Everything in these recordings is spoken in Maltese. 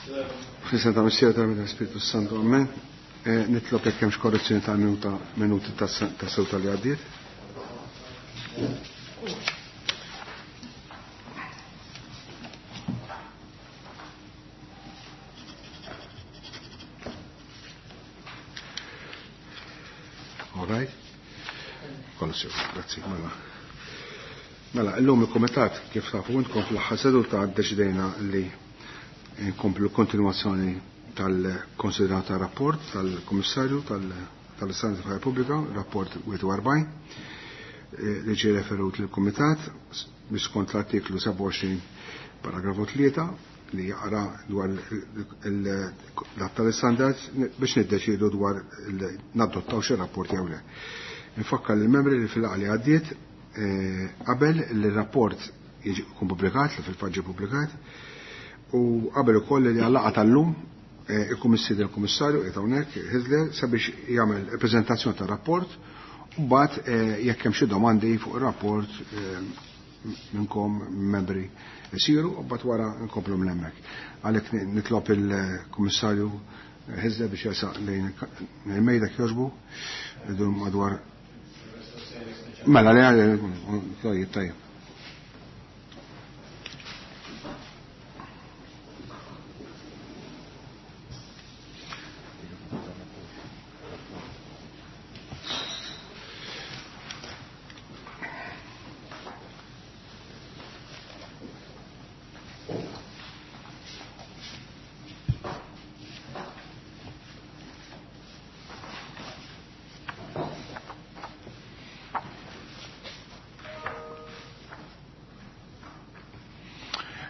Fl-isem ta' Missier tal-Spiritu Santu, Amen. Nitlob jekk hemmx korrezzjoni ta' minuta minuti ta' seduta li għaddiet. All right. Kollox sew, grazzi, mela. Mela, illum il-Kumitat kif tafu intkom fl-aħħar seduta ddeċidejna li nkomplu kontinwazzjoni tal-konsiderata rapport tal-Kummissarju tal-Istandards tal Repubblika, rapport 41, li ġie referut lill-Kumitat biex skont l-artiklu 27 paragrafu 3 li jaqra dwar l-att tal-istandards biex niddeċiedu dwar nadottaw xi rapport jew le. Infakkar lill-membri li fil-laqgħa li għaddiet qabel li r-rapport jiġi jkun pubblikat, li fil-fatt ġie pubblikat, u qabel ukoll li għal-laqgħa tal-lum ikun mistieden il-Kummissarju qiegħed hawnhekk Hyzler sabiex jagħmel preżentazzjoni tar-rapport u mbagħad jekk hemm xi domandi fuq ir-rapport minnkom membri isiru u mbagħad wara nkomplu minn hemmhekk. Għalhekk nitlob il-Kummissarju Hyzler biex jersaq lejn il-mejda jogħġbu idur madwar. Mela li tajjeb tajjeb.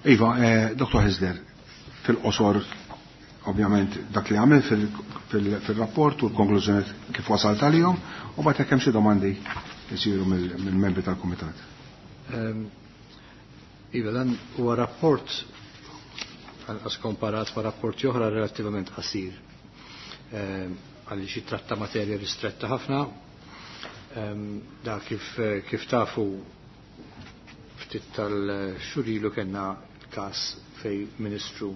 Iva, Dr. Hyzler, fil-qosor, ovvjament, dak li għamil fil-rapport u l-konklużjoni kif wasalt għalihom, u mbagħad jekk hemm xi domandi jsiru mill-membri tal-Kumitat. Iva, dan huwa rapport anqas komparat ma' rapporti oħra relattivament qasir. Għaliex jitratta materja ristretta ħafna. Da kif tafu ftit tal-xurilu kellna każ fej ministru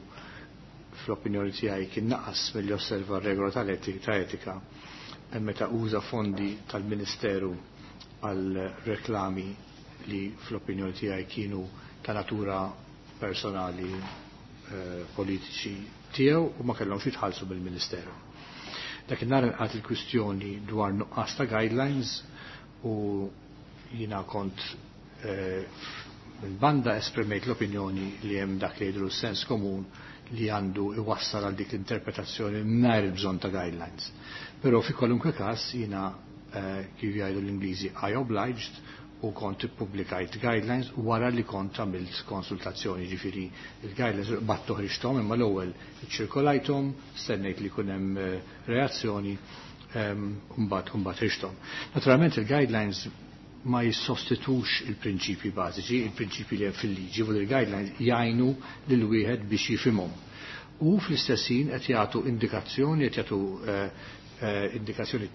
fl-opinjoni tiegħi kien naqas milli osserva r-regola ta' etika meta uża fondi tal-Ministeru għal reklami li fl-opinjoni tiegħi kienu ta' natura personali politiċi tiegħu u ma kellhomx jitħallsu mill-Ministeru. Dak in-nhar inqat il-kwistjoni dwar nuqqas ta' guidelines u jiena kont minn banda esprimejt l-opinjoni li hemm dak li jidhru sens komun li għandu iwassal għal dik l-interpretazzjoni mingħajr il-bżonn ta' guidelines. Però fi kwalunkwe każ jiena kif jgħidu l-Ingliżi I obliged u kont ippubblikajt guidelines wara li kont għamilt konsultazzjoni, ġifieri il-guidelines battu ħriġthom imma l-ewwel iċċirkolajthom, stennejt li jkun hemm reazzjoni, mbagħad ħriġthom. Naturalment il-guidelines ma jissostitux il-prinċipji bażiċi, il-prinċipji li hemm fil-liġi, u il-guidelines jgħinu lil wieħed biex jifhimhom. U fl-istess ħin qed jagħtu indikazzjoni, qed jagħtu indikazzjoni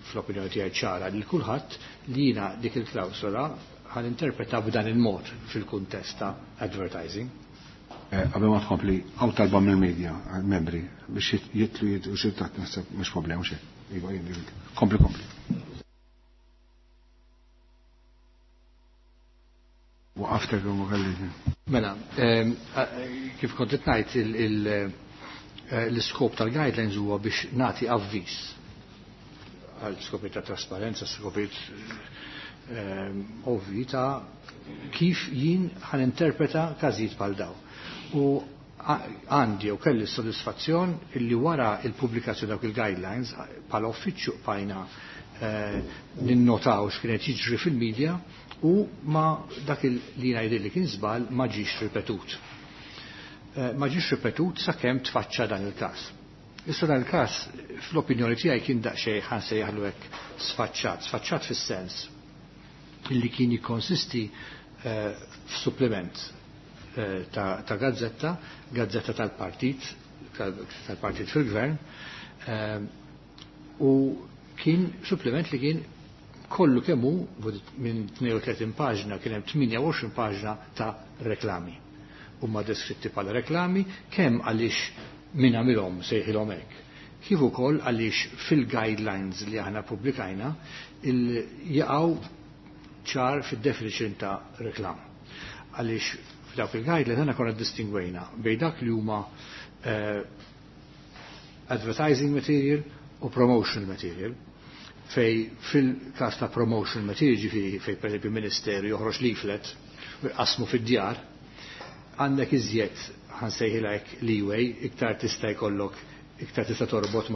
fl-opinjoni tiegħi ċara lil kulħadd li jiena dik il-klawsola ħan interpreta b'dan il-mod fil-kuntest ta' advertising. Qabel ma tkompli, hawn talba mill-media, membri biex jitlu jidru xi taħt naħseb mhux problema xejn. Iva, jien kompli kompli. Waqaftek u ma kellix. Mela, kif kont qed ngħid l-iskop tal-guidelines huwa biex nagħti avviż għal skopijiet ta' trasparenza, skopijiet ovvi ta' kif jien ħan interpreta każijiet bħal daw. U għandi u kelli s-sodisfazzjon illi wara il-pubblikazzjoni dawk il-guidelines bħala uffiċċju bqajna ninnotaw x'kienet jiġri fil-medja u ma dak li ngħidil li kien żball ma ġiex ripetut. Ma ġiex ripetut sakemm tfaċċa dan il-każ. Issa dan il-każ fl-opinjoni tiegħi kien daqsxejn ħa nsejjaħlu hekk sfaċċat, sfaċċat fis-sens illi kien jikkonsisti f'supplement ta' gazzetta, gazzetta tal-partit, tal-partit fil-gvern, u kien supplement li kien kollu kemm hu minn 32 paġna kien hemm 28 paġna ta' reklami. huma deskritti bħala reklami, kemm għaliex min għamilhom sejħilhom hekk, kif ukoll għaliex fil-guidelines li aħna pubblikajna jaqgħu ċar fid-definition ta' reklam. Għaliex f'dawk il-guidelines aħna konna distingwejna bejn dak li huma advertising material u promotional material, fej fil-kas ta' promotional material, ġifieri fej per esempio ministeru joħroġ leaflet u jqasmu fid-djar, għandek iżjed ħansejħilek leeway, iktar tista' jkollok, iktar tista' torbot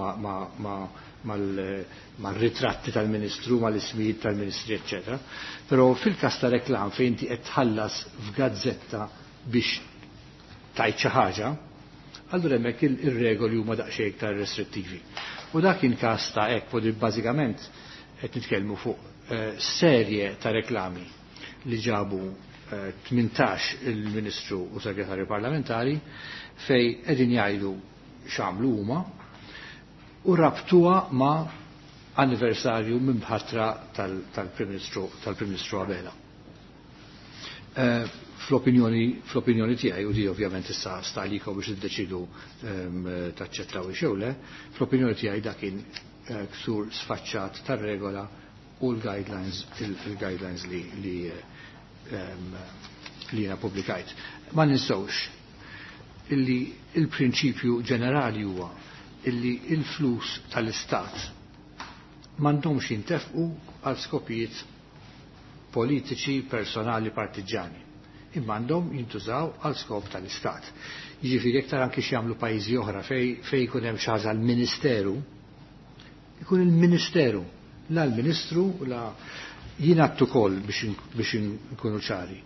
mal-ritratti tal-ministru, mal-ismijiet tal-ministri, eccetera. Però fil-kas ta' reklam fejn inti qed tħallas f'gazzetta biex tajt xi ħaġa, allura hemmhekk ir-regoli huma daqsxejn iktar restrittivi. U dak kien każ ta' hekk, u bażikament qed nitkellmu fuq serje ta' reklami li ġabu 18 il-Ministru u Segretarju Parlamentari fej qegħdin jgħidu x'għamlu huma u rabtuha ma' anniversarju minn ħatra tal-Prim Ministru Abela. Fl-opinjoni tiegħi, u di ovvjament issa sta għalikom biex tiddeċidu taċċettaw jew le, fl-opinjoni tiegħi dak kien ksur sfaċċat tar-regola u l-guidelines il-guidelines li jiena pubblikajt. Ma ninsewx illi il-prinċipju ġenerali huwa illi il-flus tal-istat m'għandhomx jintefqu għal skopijiet politiċi, personali, partiġani, imma għandhom jintużaw għal skop tal-istat. Jiġifieri jekk tara anki x'jagħmlu pajjiżi oħra fej jkun hemm xi ħaġa l-ministeru, ikun il-ministeru, la l-ministru, la jien għattu ukoll biex nkunu ċari,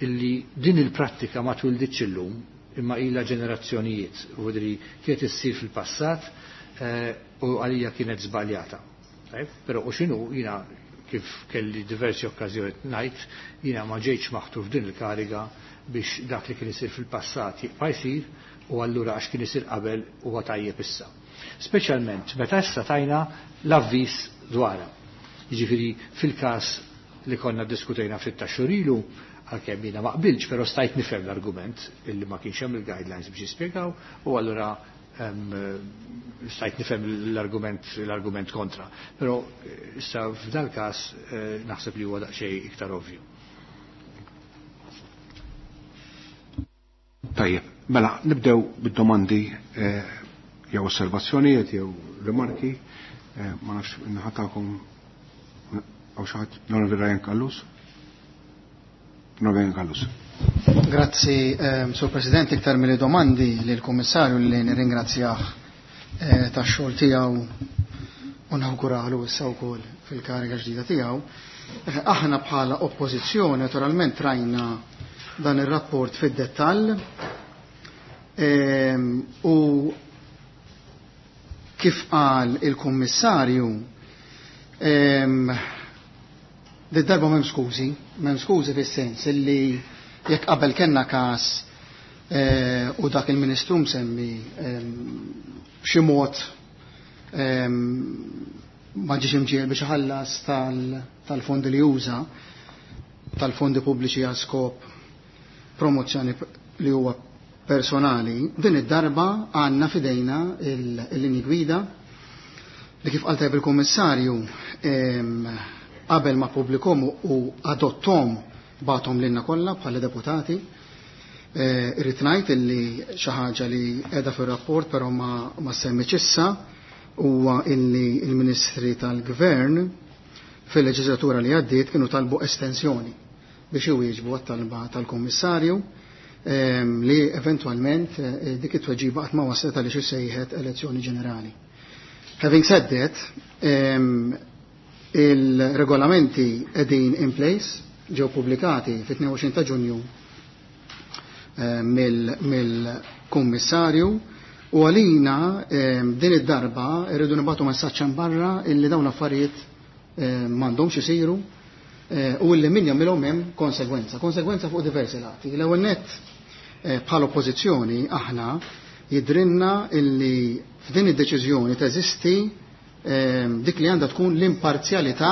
illi din il-prattika ma twilditx illum, imma ilha ġenerazzjonijiet, u dri kienet issir fil-passat u għalija kienet żbaljata. Però u x'inhu jiena kif kelli diversi okkażjoni ngħid, jiena ma ġejtx maħtur f'din il-kariga biex dak li kien isir fil-passat jibqa' jsir u allura għax kien isir qabel huwa tajjeb issa. Speċjalment meta issa tajna l-avviż dwarha. Jiġifieri fil-każ li konna diskutejna ftit ta' xhur ilu, għalkemm jiena ma qbilx, però stajt nifhem l-argument illi ma kienx hemm il-guidelines biex jispjegaw u allura stajt nifhem l-argument kontra. Però issa f'dal każ naħseb li huwa daqsxejn iktar ovvju. Tajjeb, mela nibdew bid-domandi jew osservazzjonijiet jew rimarki, ma nafx inħatakom għaw xi ħadd, l-Onorevoli Ryan Callus. Onorevoli Callus. Grazzi, Sur President, iktar mill domandi lill kummissarju li nirringrazzjah tax-xogħol tiegħu u nawguralu issa wkoll fil-kariga ġdida tiegħu. Aħna bħala oppożizzjoni naturalment rajna dan ir-rapport fid-dettall u kif qal il-Kummissarju darba m'hemm skużi, m'hemm skużi fis-sens illi jekk qabel kellna każ u dak il-Ministru msemmi b'xi mod ma ġiex imġiel biex iħallas tal-fondi li juża, tal-fondi pubbliċi għal skop promozzjoni li huwa personali, din id-darba għandna fidejna il-linji gwida li kif qal tajb il-Kummissarju qabel ma publikom u adottom batom lilna kollha bħala deputati. Irrid ngħid illi xi ħaġa li qiegħda fir-rapport però ma semmitx issa huwa illi il-Ministri tal-Gvern fil-leġislatura li għaddiet kienu talbu estensjoni biex iwieġbu għat-talba tal-Kummissarju li eventwalment dik it-tweġiba qatt ma waslet għaliex issejħet elezzjoni ġenerali. Having said that, il-regolamenti qegħdin in place, ġew pubblikati fit-22 ta' Ġunju mill-Kummissarju u għalina din id-darba irridu nibgħatu messaġġ barra illi dawn l-affarijiet m'għandhomx isiru u illi min jagħmilhom hemm konsegwenza, konsegwenza fuq diversi lati. L-ewwel nett bħala oppożizzjoni aħna jidrinna illi f'din id-deċiżjoni teżisti dik li għandha tkun l-imparzjalità.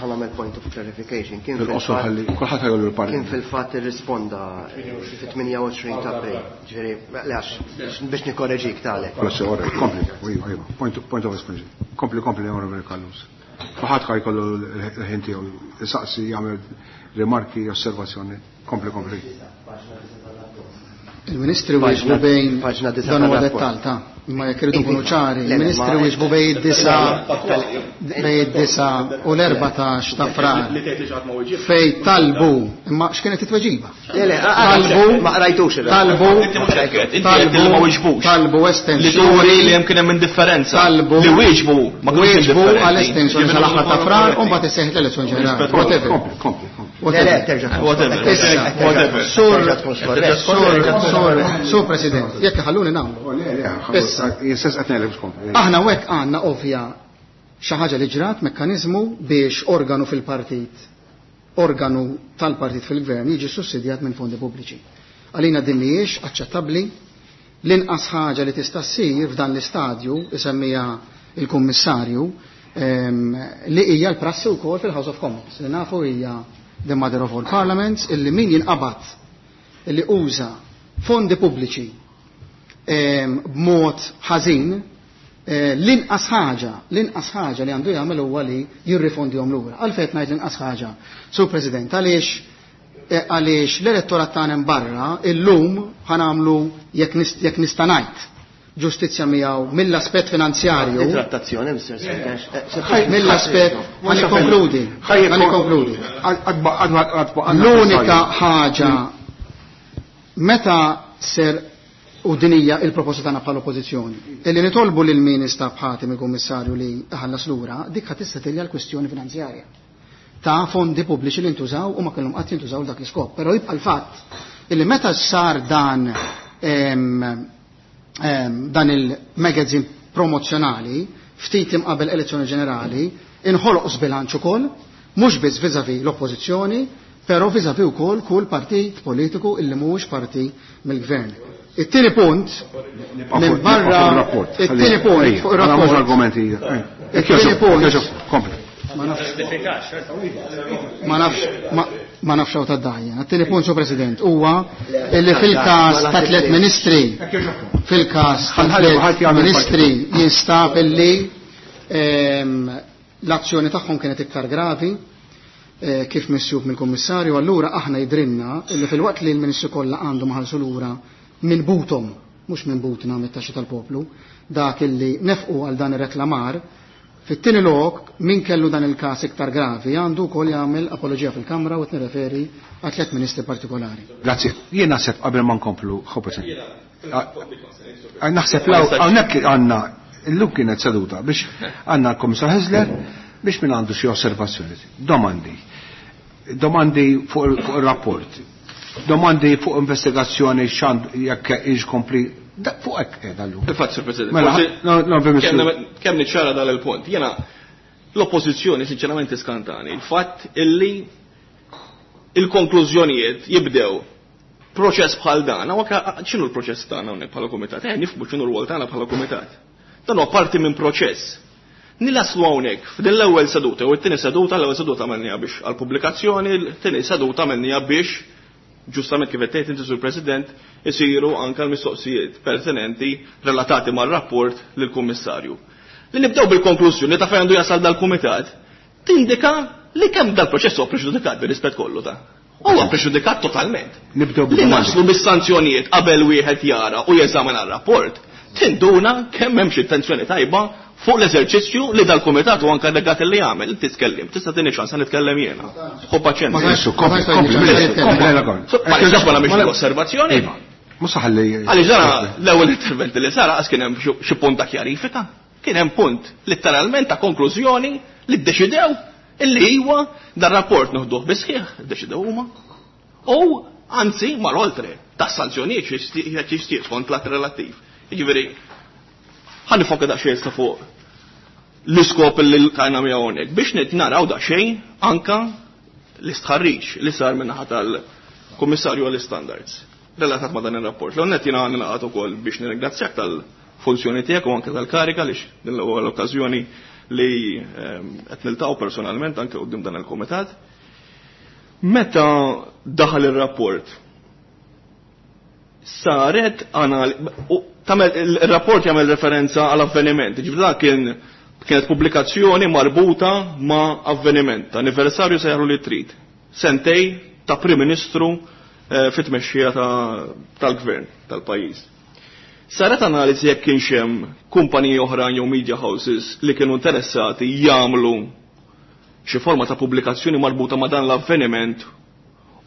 Ħa Ħa nagħmel point of clarification. Kien Fil-qosor ħalli kulħadd ħajollu l-parti. Kien fil-fatt irrisponda fit-28 ta' April. Ġifieri, le għax biex nikkoreġik talek. Grazzi, all right, kompli, iva, iva, point of explanation. Kompli, kompli, Onorevoli Callus. Kulħadd ħajkollu l-ħin tiegħu, isaqsi, jagħmel rimarki, osservazzjoni. Kompli, kompli. Il-Ministri wieġbu bejn Paġna disa' dan huwa tar-rapport. dettall ta' imma jekk irridu nkunu ċari, Le, le, il-Ministri ma- wieġbu bejn id-9 u l-14 ta' Frar Li tgħid li xi ħadd ma wieġibx. fej talbu, imma x'kienet it-tweġiba? Le, le, Talbu, ma qrajtux il-rapport. talbu, Inti mhux hekk qed, inti qed li ma wieġbux. talbu Li turi estensjoni, li hemm kien hemm indifferenza. Talbu. Li wieġbu ma kinux wieġbu indifferenti. għal estensjoni sal-aħħar ta' Frar u mbagħad isseħħet l-elezzjoni ġenerali. Whatever. Kompli, kompli, kompli. Le, le, Whatever. terġa' tkun Whatever. skorrett. Issa, Whatever. Sur, Terġa' tkun skorrett. sur, sur, sur President, jekk ħalluni nagħmlu. Oh, Le, le, Issa. jistess qed ngħidlek biex kompli. Aħna hekk għandna ovvja xi ħaġa li ġrat mekkaniżmu biex organu fil-partit, organu tal-partit fil-gvern jiġi sussidjat minn fondi pubbliċi. Għalina din mhijiex aċċettabbli. L-inqas ħaġa li tista' ssir f'dan l-istadju isemmija il-Kummissarju li hija l-prassi wkoll fil-House of Commons li nafu hija the mother of all parliaments illi min jinqabad illi uża fondi pubbliċi b'mod ħażin, l-inqas ħaġa li għandu jagħmel huwa li jirrifondihom lura. Għalfejn qed ngħid l-inqas ħaġa, Sur President, għaliex l-elettorat tagħna barra illum ħanamlu jekk nista' ngħid ġustizzja miegħu mill-aspett finanzjarju. Trattazzjoni, Mr. Sarkax. Mill-aspett ħa nikkonkludi, ħa nikkonkludi. L-unika ħaġa meta ser u din hija il-proposta tagħna bħala oppożizzjoni, illi nitolbu lil min instab ħati mill-Kummissarju li ħallas lura, dik ħa tissetilja l-kwistjoni finanzjarja ta' fondi pubbliċi li ntużaw u ma kellhom qatt jintużaw dak l-iskop. Però jibqa' l-fatt illi meta sar dan il-magazine promozzjonali ftit imqabel elezzjoni ġenerali, inħoloq sbilanċ ukoll, mhux biss vis-à-vis l-oppożizzjoni, però vis-à-vis ukoll kull partit politiku illi mhuwiex parti mill-gvern. It-tieni punt, minn barra, it-tieni punt fuq ir-rapport. Argumenti. It-tieni punt. Kompli. Ma nafx. Ma nafx, ma nafx hawn tad-dajja. It-tieni punt, Sur President, huwa illi fil-każ ta' tliet ministri, fil-każ ta' tliet ministri jinstab illi l-azzjoni tagħhom kienet iktar gravi, kif missjub mill-Kummissarju, allura aħna jidrinna illi fil-waqt li l-ministri kollha għandhom ħalsu lura minn butom, mhux minn butna mit-taxxa tal-poplu, dak illi nefqu għal dan ir-reklamar, fit-tieni lok min kellu dan il-każ iktar gravi għandu wkoll jagħmel apoloġija fil-Kamra u qed nirreferi għal tliet ministri partikolari. Grazzi. Jien naħseb qabel ma nkomplu, ħobet. Naħseb hawnhekk għandna illum kienet seduta biex għandna l-Kummissar Hyzler biex min għandu xi osservazzjoni. Domandi. Domandi fuq ir-rapport. Domandi fuq investigazzjoni x'għandu jekk hix kompli. Fuq hekk qiegħda llum. Il-fatt, Sur President, Mela, forsi no, no, permessu. kemm niċċara dal il-punt. Jiena l-oppożizzjoni sinċerament iskantani. Il-fatt illi il-konklużjonijiet jibdew proċess bħal dan, hawn x'inhu l-proċess tagħna hawnhekk bħala kumitat? Nifhmu x'inhu r-rwol tagħna bħala kumitat. Dan huwa parti minn proċess. Nilaslu hawnhekk f'din l-ewwel seduta u t-tieni seduta, l-ewwel seduta għamilniha biex għall-pubblikazzjoni, t-tieni seduta għamilniha biex ġustament kif qed tgħid inti Sur President isiru anke l-mistoqsijiet pertinenti relatati mar-rapport lill-Kummissarju. Li nibdew bil-konklużjoni ta' fejn għandu jasal dal-kumitat tindika li kemm dal-proċess huwa preġudikat bir-rispett kollu ta'. Huwa preġudikat totalment. Nibdew Li bil-domandi. naslu bis-sanzjonijiet qabel wieħed jara u jeżamina r-rapport, tinduna kemm hemm xi intenzjoni tajba fuq l-eżerċizzju li dal-kumitat u anke delegat li jagħmel, inti tkellem, tista' tieni ċans nitkellem jiena. Ħu paċenzja. Ma Adesso, kompli, Ma kompli, tantx kompli, la kompli. So, ma nistax ma nagħmilx osservazzjoni. Iva, mhux ħalli. Għaliex dara l-ewwel intervent li sar qas kien hemm xi punt ta' kjarifika, kien hemm punt letteralment ta' konklużjoni li ddeċidew illi huwa dar rapport noħduh bisħieħ, ddeċidew huma. U anzi mar oltre ta' sanzjonijiet xi jixtieq skont l-att relattiv. Jiġifieri ħa nifoka daqsxejn issa fuq l-iskop li lqajna miegħu hawnhekk biex naraw daqsxejn anka l-istħarriġ li sar min-naħa tal-Kummissarju għall-Standards relatat ma' dan ir-rapport. L-għonnet jiena nilaqgħat ukoll biex nirringrazzjak tal-funzjoni tiegħek u anke tal-karika għaliex din l-ewwel okkażjoni li qed niltaqgħu personalment anke quddiem dan il-kumitat. Meta daħal ir-rapport, saret tagħmel il-rapport jagħmel referenza għal avveniment, ġifieri dak kienet pubblikazzjoni marbuta ma' avveniment, anniversarju sejħlu li trid, sentej ta' Prim Ministru fit-tmexxija tal-gvern tal-pajjiż. Saret analiżi jekk kienx hemm kumpaniji oħrajn jew media houses li kienu interessati jagħmlu xi forma ta' pubblikazzjoni marbuta ma' dan l-avveniment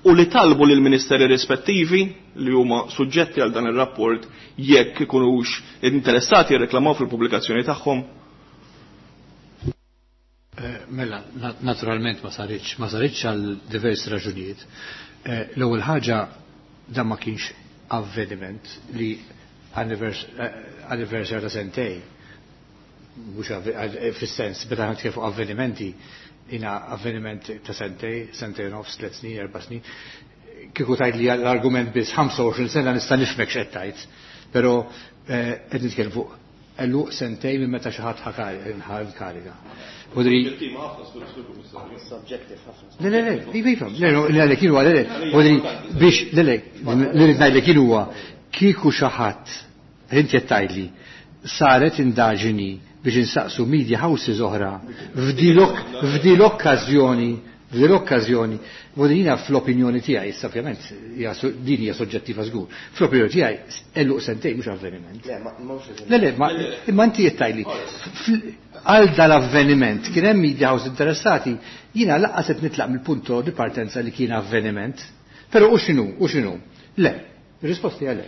u li talbu lil ministeri rispettivi li huma suġġetti għal dan ir-rapport jekk ikunux interessati jirreklamaw fil-pubblikazzjoni tagħhom? Mela, naturalment ma saritx, ma saritx għal diversi raġunijiet. L-ewwel ħaġa, dan ma kienx avveniment li anniversary ta' sentej, mhux fis-sens, meta nitkellmu fuq avvenimenti, jina avveniment ta' sentej, sentej nofs, 3 snin, 4 snin. Kieku tajt li l-argument biss 25 sena nista' nifhmek x'qed tajt, però qed nitkellmu fuq għeluq sentej minn meta xi ħadd ħa l-kariga. Vodri. Subjective ħafna. Le, le, le, iva, iva, le, le, le, kienu, le, le, vodri, biex, le, le, li rrid ngħidlek kienu huwa, kieku xi ħadd, inti qed tgħidli, saret indaġini biex insaqsu media houses oħra f'dil okkażjoni, vodri jiena fl-opinjoni tiegħi, issa ovvjament din hija soġġettiva żgur, fl-opinjoni tiegħi għeluq sentej mhux avveniment. Le, ma mhux Le, le, ma imma inti qed tgħidli għal dal-avveniment kien hemm media house interessati, jiena lanqas qed nitlaq mill-punto di partenza li kien avveniment. Però u x'inhu, u x'inhu? Le, ir-risposta hija le.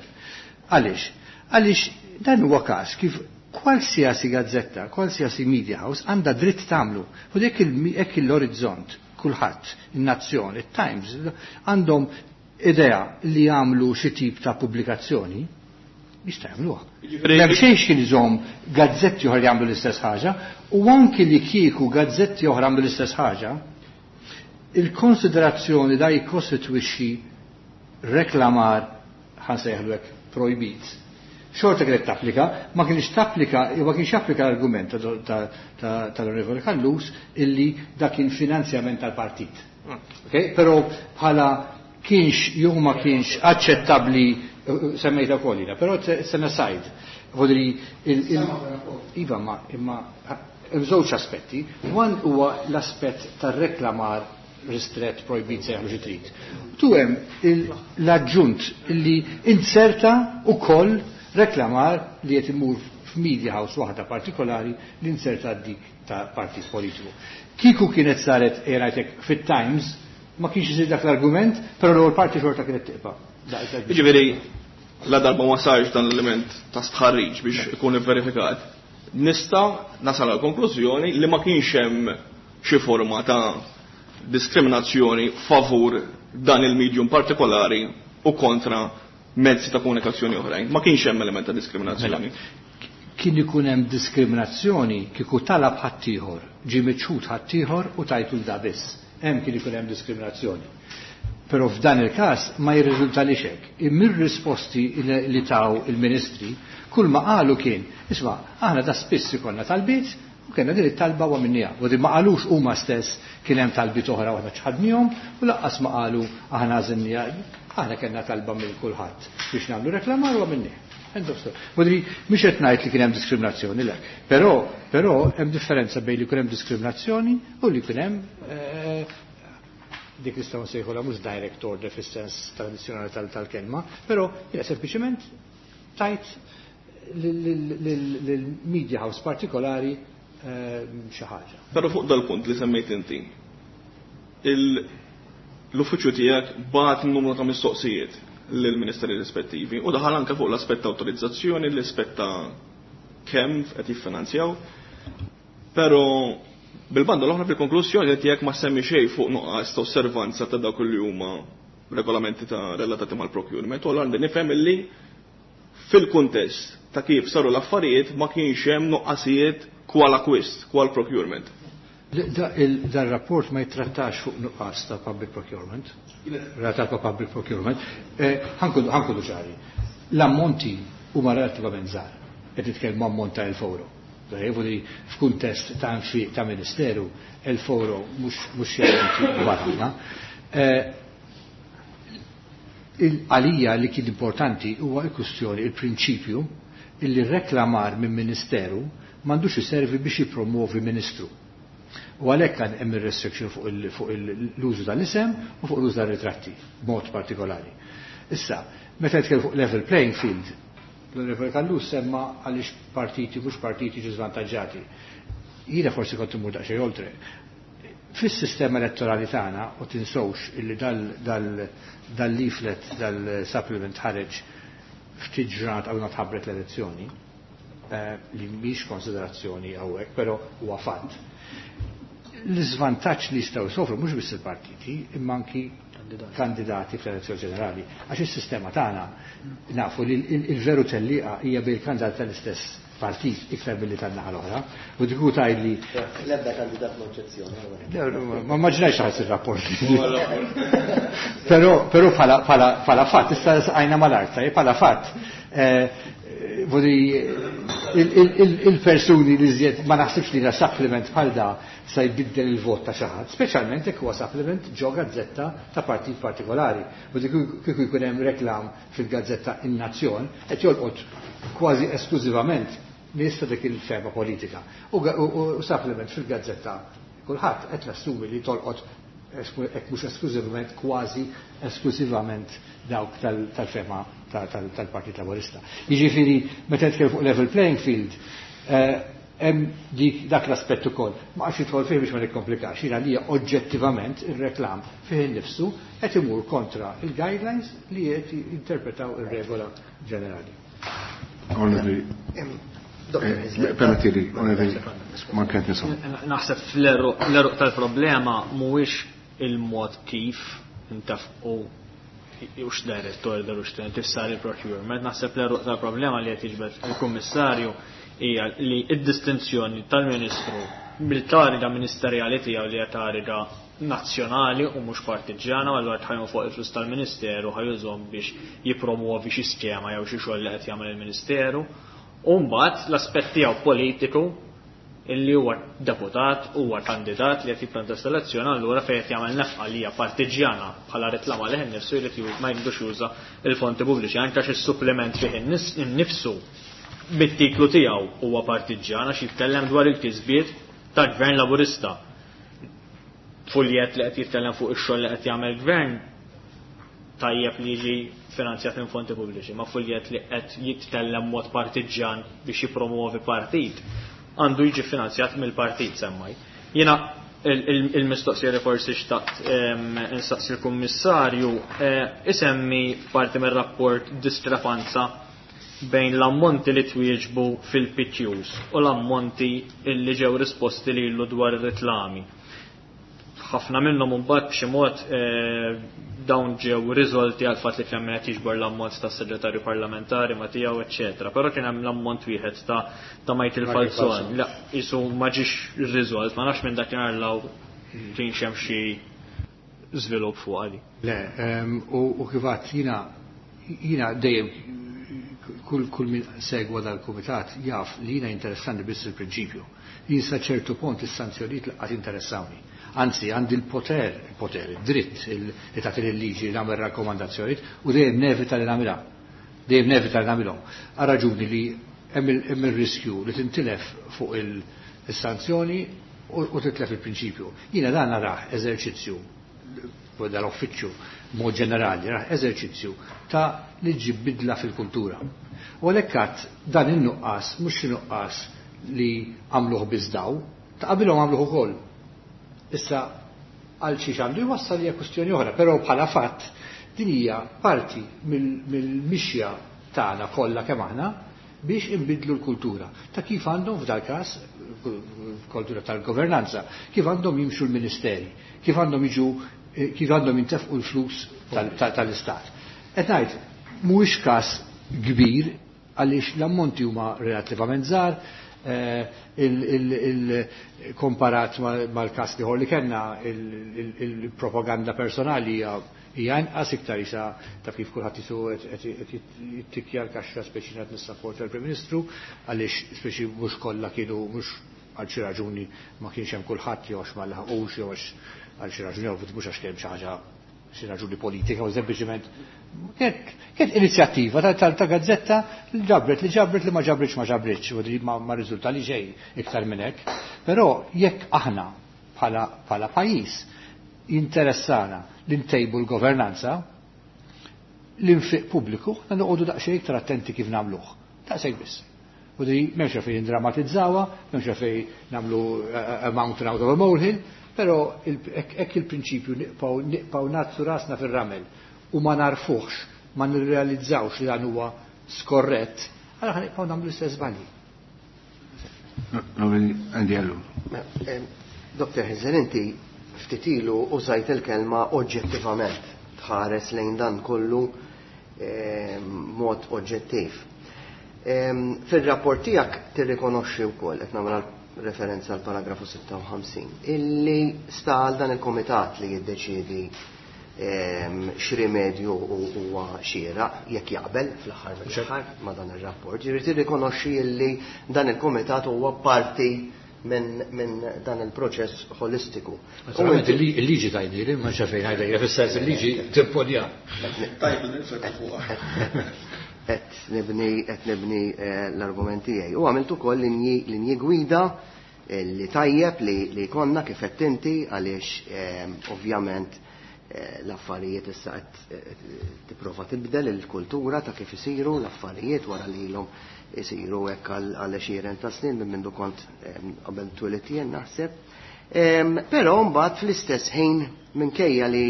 Għaliex? Għaliex dan huwa każ kif qualsiasi gazzetta, qualsiasi media house għandha dritt tagħmlu. U dik hekk l-orizzont, kulħadd, in-Nazzjon, it-Times, għandhom idea li jagħmlu xi tip ta' pubblikazzjoni, jista' jagħmluha. M'hemm xejn kien iżomm gazzetti oħra li jagħmlu l-istess ħaġa, u anki li kieku gazzetti oħra jagħmlu l-istess ħaġa, il-konsiderazzjoni da jikkostitwixxi reklamar ħa nsejħlu hekk projbit. Xorta kienet tapplika, ma kienx tapplika, ma kienx applika l-argument tal-Onorevoli Callus illi dak kien finanzjament tal-partit. Okay? Però bħala kienx jew ma kienx aċċettabbli semmejta wkoll jiena, però it's an aside. Vodri iva ma imma hemm żewġ aspetti. One huwa l-aspett tar-reklamar ristret projbit sejħlu xi trid. Tu hemm l-aġġunt li inserta ukoll reklamar li qed imur f'media house waħda partikolari li inserta dik ta' partit politiku. Kieku kienet saret ngħidlek fit-Times ma kienx isir dak l-argument, però l-ewwel parti xorta kienet tibqa'. Jiġifieri la darba ma sarx dan l-element ta' stħarriġ biex ikun verifikat, nista' nasal għal konklużjoni li ma kienx hemm xi forma ta' diskriminazzjoni favur dan il-medium partikolari u kontra mezzi ta' komunikazzjoni oħrajn. Ma kienx hemm element ta' diskriminazzjoni. Mela, kien ikun hemm diskriminazzjoni kieku talab ħaddieħor, ġie miċħud ħaddieħor u tajtu da biss. Hemm kien ikun hemm diskriminazzjoni. Però f'dan il-każ ma jirriżulta li xek. Mir-risposti li taw il-ministri, kull ma qalu kien, isma' aħna da spiss ikollna talbiet u kellna din it-talba u għamilniha. U din ma qalux huma stess kien hemm talbiet oħra u aħna ċħadnihom u lanqas ma qalu aħna għażilniha. Aħna kellna talba minn kulħadd biex nagħmlu reklamar u għamilnieh. End of story. Vodri, mhux qed ngħid li kien hemm diskriminazzjoni, le. Però hemm differenza bejn li kien hemm diskriminazzjoni u li kien hemm dik li nistgħu nsejħulha mhux direct order fis-sens tradizzjonali tal-kelma, però hija sempliċement tajt lil-media house partikolari xi ħaġa. Però fuq dal-punt li semmejt inti, l-uffiċċju tiegħek bagħat numru ta' mistoqsijiet lill-ministeri rispettivi u daħal anke fuq l-aspett ta' awtorizzazzjoni, l-aspett ta' kemm qed jiffinanzjaw. Però bil-banda l-oħra fil-konklużjoni tiegħek ma semmi xejn fuq nuqqas ta' osservanza ta' dawk li huma regolamenti ta' relatati mal-procurement. U għandi nifhem illi fil-kuntest ta' kif saru l-affarijiet ma kienx hemm nuqqasijiet kwal acquist, kwal procurement. Dan rapport ma jittrattax fuq nuqqas ta' public procurement. Relatat ma' public procurement. Ħa nkunu ċari. L-ammonti huma relattivament żgħar. Qed nitkellmu ammont ta' 1000 euro. Li f'kuntest ta' nfiq ta' ministeru, 1000 euro mhux xi kbar ħafna. Għalija li kien importanti huwa l-kwistjoni, il-prinċipju illi reklamar minn ministeru m'għandux iservi biex jippromovi ministru. U għalhekk kan hemm ir-restriction fuq l-użu tal-isem u fuq l-użu tar-ritratti, b'mod partikolari. Issa, meta nitkellem fuq level playing field, l-Onorevoli Callus semma għaliex partiti mhux partiti ġu żvantaġġati. Jiena forsi kont immur daqsxejn oltre. Fis-sistema elettorali tagħna, u tinsewx illi dal-leaflet, dal-supplement ħareġ ftit ġurnat qabel ma tħabbret l-elezzjoni, li mhix konsiderazzjoni hawnhekk, però huwa fatt. L-iżvantaġġ li jistgħu jsofru mhux biss il-partiti, imma anki kandidati fl-elezzjoni ġenerali. Għax is-sistema tagħna nafu li il-veru tellieqa hija bejn kandidati tal-istess partit iktar milli tan-naħa l-oħra. U dik hu tgħidli L-ebda kandidat ma oġġezzjoni. Ma immaġinajx ħass ir-rapport. Però bħala fatt, issa saqajna mal-art, tajjeb, bħala fatt. Il-persuni li żjed ma naħsibx li supplement bħal da sa jbiddel il-vot ta' xi ħadd, speċjalment jekk huwa supplement ġo gazzetta ta' partit partikolari. U dik kieku jkun hemm reklam fil-gazzetta In-Nazzjon qed jolqot kważi esklużivament nies ta' dik il-fema politika. U supplement fil-gazzetta kulħadd qed nassumi li tolqot hekk mhux esklużivament, kważi esklużivament dawk tal-fema tal-Partit Laburista. Jiġifieri meta nitkellem fuq level playing field, hemm dik dak l-aspett ukoll. Ma qgħadx nidħol fih biex ma nikkomplikax, jiena li oġġettivament ir-reklam fih innifsu qed imur kontra il-guidelines li qed jinterpretaw ir-regola ġenerali. Onorevoli, permettili, onorevoli, ma kent nisma'. Naħseb fl-eruq tal-problema mhuwiex il-mod kif intafqu ux direct order u tifsar il-procurement. Naħseb l-eruq tal-problema li qed jiġbed il-Kummissarju hija li id-distinzjoni tal-Ministru bil-kariga ministerjali tiegħu li hija kariga nazzjonali u mhux partiġjana, u allura tħajmu fuq il-flus tal-Ministeru ħajużhom biex jippromuovi xi skema jew xi xogħol li qed jagħmel il-Ministeru. U mbagħad l-aspett tiegħu politiku illi huwa deputat, huwa kandidat li qed jikkontesta elezzjoni, allura fejn qed jagħmel nefqa li hija partiġjana bħala reklama lih innifsu jrid ma jridux juża il-fonti pubbliċi, anke għax is-supplement fih innifsu bit-titlu tiegħu huwa partiġjana għax jitkellem dwar il-kisbiet tal-Gvern Laburista. Fuljet li qed jitkellem fuq ix-xogħol li qed jagħmel gvern tajjeb li jiġi finanzjat minn fonti pubbliċi, ma fuljet li qed jitkellem mod partiġjan biex jippromuovi partit għandu jiġi finanzjat mill-partit semmaj. Jiena il-mistoqsija li forsi xtaqt insaqsi l-Kummissarju isemmi parti mir-rapport diskrepanza bejn l-ammonti li twieġbu fil-PQs u l-ammonti li ġew risposti lilu dwar ir-reklami. Ħafna minnhom imbagħad b'xi mod dawn ġew riżolti għal fatt li kien hemm qed jiġbor l-ammont tas-segretarju parlamentari ma tiegħu, eċċetera. Però kien hemm l-ammont wieħed ta' Michael Falzon. La, isu ma ġiex riżolt, ma nafx minn dakinhar law kienx hemm xi żvilupp fuq għali. Le, u kif għedt jiena dejjem kull min segwa dal-kumitat jaf li jiena interessanti biss il-prinċipju. Jien sa ċertu punt is-sanzjonijiet laqgħat interessawni. Anzi, għandi il-poter, il-poter, id-dritt li tagħti l-liġi li nagħmel rakkomandazzjonijiet u dejjem nevita li nagħmilha. Dejjem nevita li nagħmilhom. Għal raġuni li hemm il-riskju li tintilef fuq il-sanzjoni u titlef il-prinċipju. Jiena dan narah eżerċizzju dal-uffiċċju mod ġenerali, narah eżerċizzju ta' li ġib bidla fil-kultura. U għalhekk għadd dan in-nuqqas mhux xi nuqqas li għamluh biss daw, ta' qabilhom għamluh ukoll. Issa għal xi għandu jwassal hija kwistjoni oħra, però bħala fatt din hija parti mill-mixja tagħna kollha kemm aħna biex inbidlu l-kultura ta' kif għandhom f'dal każ kultura tal-governanza, kif għandhom jimxu l-ministeri, kif għandhom jiġu, kif għandhom jintefqu l-flus tal-istat. Qed ngħid mhuwiex każ kbir għaliex l-ammonti huma relattivament żgħar, il-komparat mal-każ ieħor li kellna il-propaganda personali hija Hija inqas iktar isa taf kif kulħadd isu qed jittikja l-kaxxa speċi qed nissapporta l-Prim Ministru għaliex speċi mhux kollha kienu mhux għal xi raġuni ma kienx hemm kulħadd jew għax ma laħqux jew għax għal xi raġuni jew mhux għax kien xi ħaġa xi raġuni politika u sempliċement kienet inizjattiva ta' gazzetta li ġabret li ġabret li ma ġabritx ma ġabritx u li ma riżulta li xejn iktar minn hekk. Però jekk aħna bħala pajjiż jinteressana li ntejbu l-governanza, l-infiq pubbliku, aħna noqogħdu daqsxejn iktar attenti kif nagħmluh. Daqshekk biss. U di m'hemmx fejn ndrammatizzawha, m'hemmx fejn nagħmlu a mountain out of a molehill, però hekk il-prinċipju nibqgħu ngħaddsu rasna fir-ramel u ma narfuhx, ma nirrealizzawx li dan huwa skorrett, allura ħa nibqgħu nagħmlu l-istess żbalji. Andy Ellul. Dr. Hyzler, inti ftit ilu użajt il-kelma oġġettivament, tħares lejn dan kollu mod oġġettiv. Fil-rapport tiegħek tirrikonoxxi wkoll, qed nagħmel referenza għal paragrafu 56, illi sta għal dan il-komitat li jiddeċiedi x'rimedju huwa xieraq jekk jaqbel fl-aħħar mill-aħħar ma' dan ir-rapport. Ġifieri tirrikonoxxi illi dan il-komitat huwa parti minn dan il-proċess holistiku. Naturalment il-liġi tajni, ma xafejn ħajda, fis-sens il-liġi timponja. Tajb, niflek fuqha. Qed nibni l-argument tiegħi. U għamilt ukoll linji gwida li tajjeb li konna kif qed inti għaliex ovvjament l-affarijiet issa qed tipprova tibdel il-kultura ta' kif isiru l-affarijiet wara li ilhom isiru hekk għal għexieren ta' snin minn mindu kont qabel twelidt jien naħseb. Però mbagħad fl-istess ħin minkejja li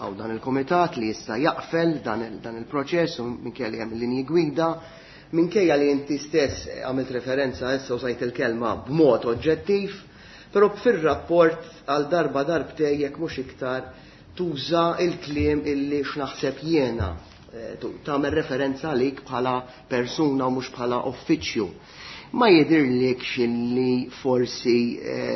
għaw dan il-komitat li jista' jaqfel dan il-proċess u minkejja li hemm linji gwida, minkejja li inti stess għamilt referenza issa u sajt il-kelma b'mod oġġettiv, però fir-rapport għal darba darbtej jekk mhux iktar tuża il-kliem illi x'naħseb jiena, tagħmel referenza għalik bħala persuna u mhux bħala uffiċċju. Ma jidhirlikx illi forsi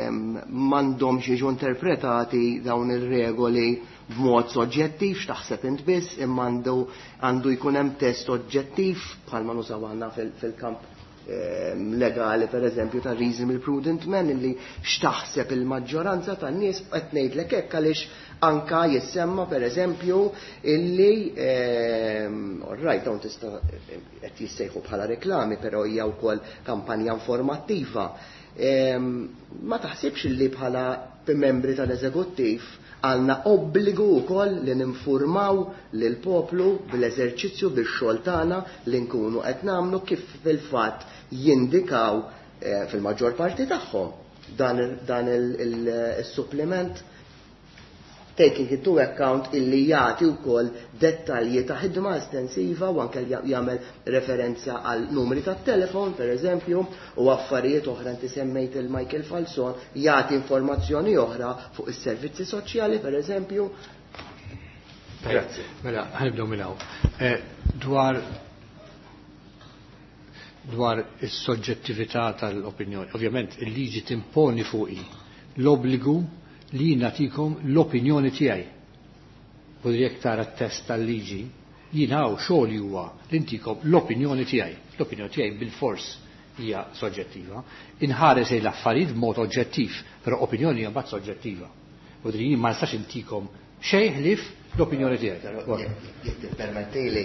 m'għandhomx jiġu interpretati dawn ir-regoli b'mod soġġettiv, x'taħseb int biss, imma għandu jkun hemm test oġġettiv bħalma nużaw għandna fil-kamp legali, per eżempju, ta' reasonable prudent man, illi x'taħseb il-maġġoranza tan-nies. Qed ngħidlek hekk għaliex anka jissemma per eżempju illi all right, dawn tista' qed jissejħu bħala reklami, però hija wkoll kampanja informattiva. Ma taħsibx illi bħala membri tal-eżekuttiv għandna obbligu wkoll li ninfurmaw lil poplu bil-eżerċizzju bix-xogħol tagħna li nkunu qed nagħmlu kif fil-fatt jindikaw fil-maġġor parti tagħhom dan il-supplement, taking into account illi jagħti wkoll dettalji ta' ħidma estensiva u anke jagħmel referenza għal numri tat-telefon per eżempju u affarijiet oħra. Inti semmejt il-Michael Falzon, jagħti informazzjoni oħra fuq is-servizzi soċjali per eżempju. Grazzi. Mela, ħa nibdew minn hawn. Dwar is-soġġettività tal-opinjoni. Ovvjament il-liġi timponi fuqi l-obbligu li nagħtikom l-opinjoni tiegħi. U jekk tara t-test tal-liġi, jien hawn xogħol huwa li ntikom l-opinjoni tiegħi. L-opinjoni tiegħi bil-fors hija soġġettiva. Inħares lejn l-affarijiet b'mod oġġettiv, però opinjoni hija mbagħad soġġettiva. U jien ma nistax intikom xejn ħlief l-opinjoni tiegħi. Jekk tippermettili,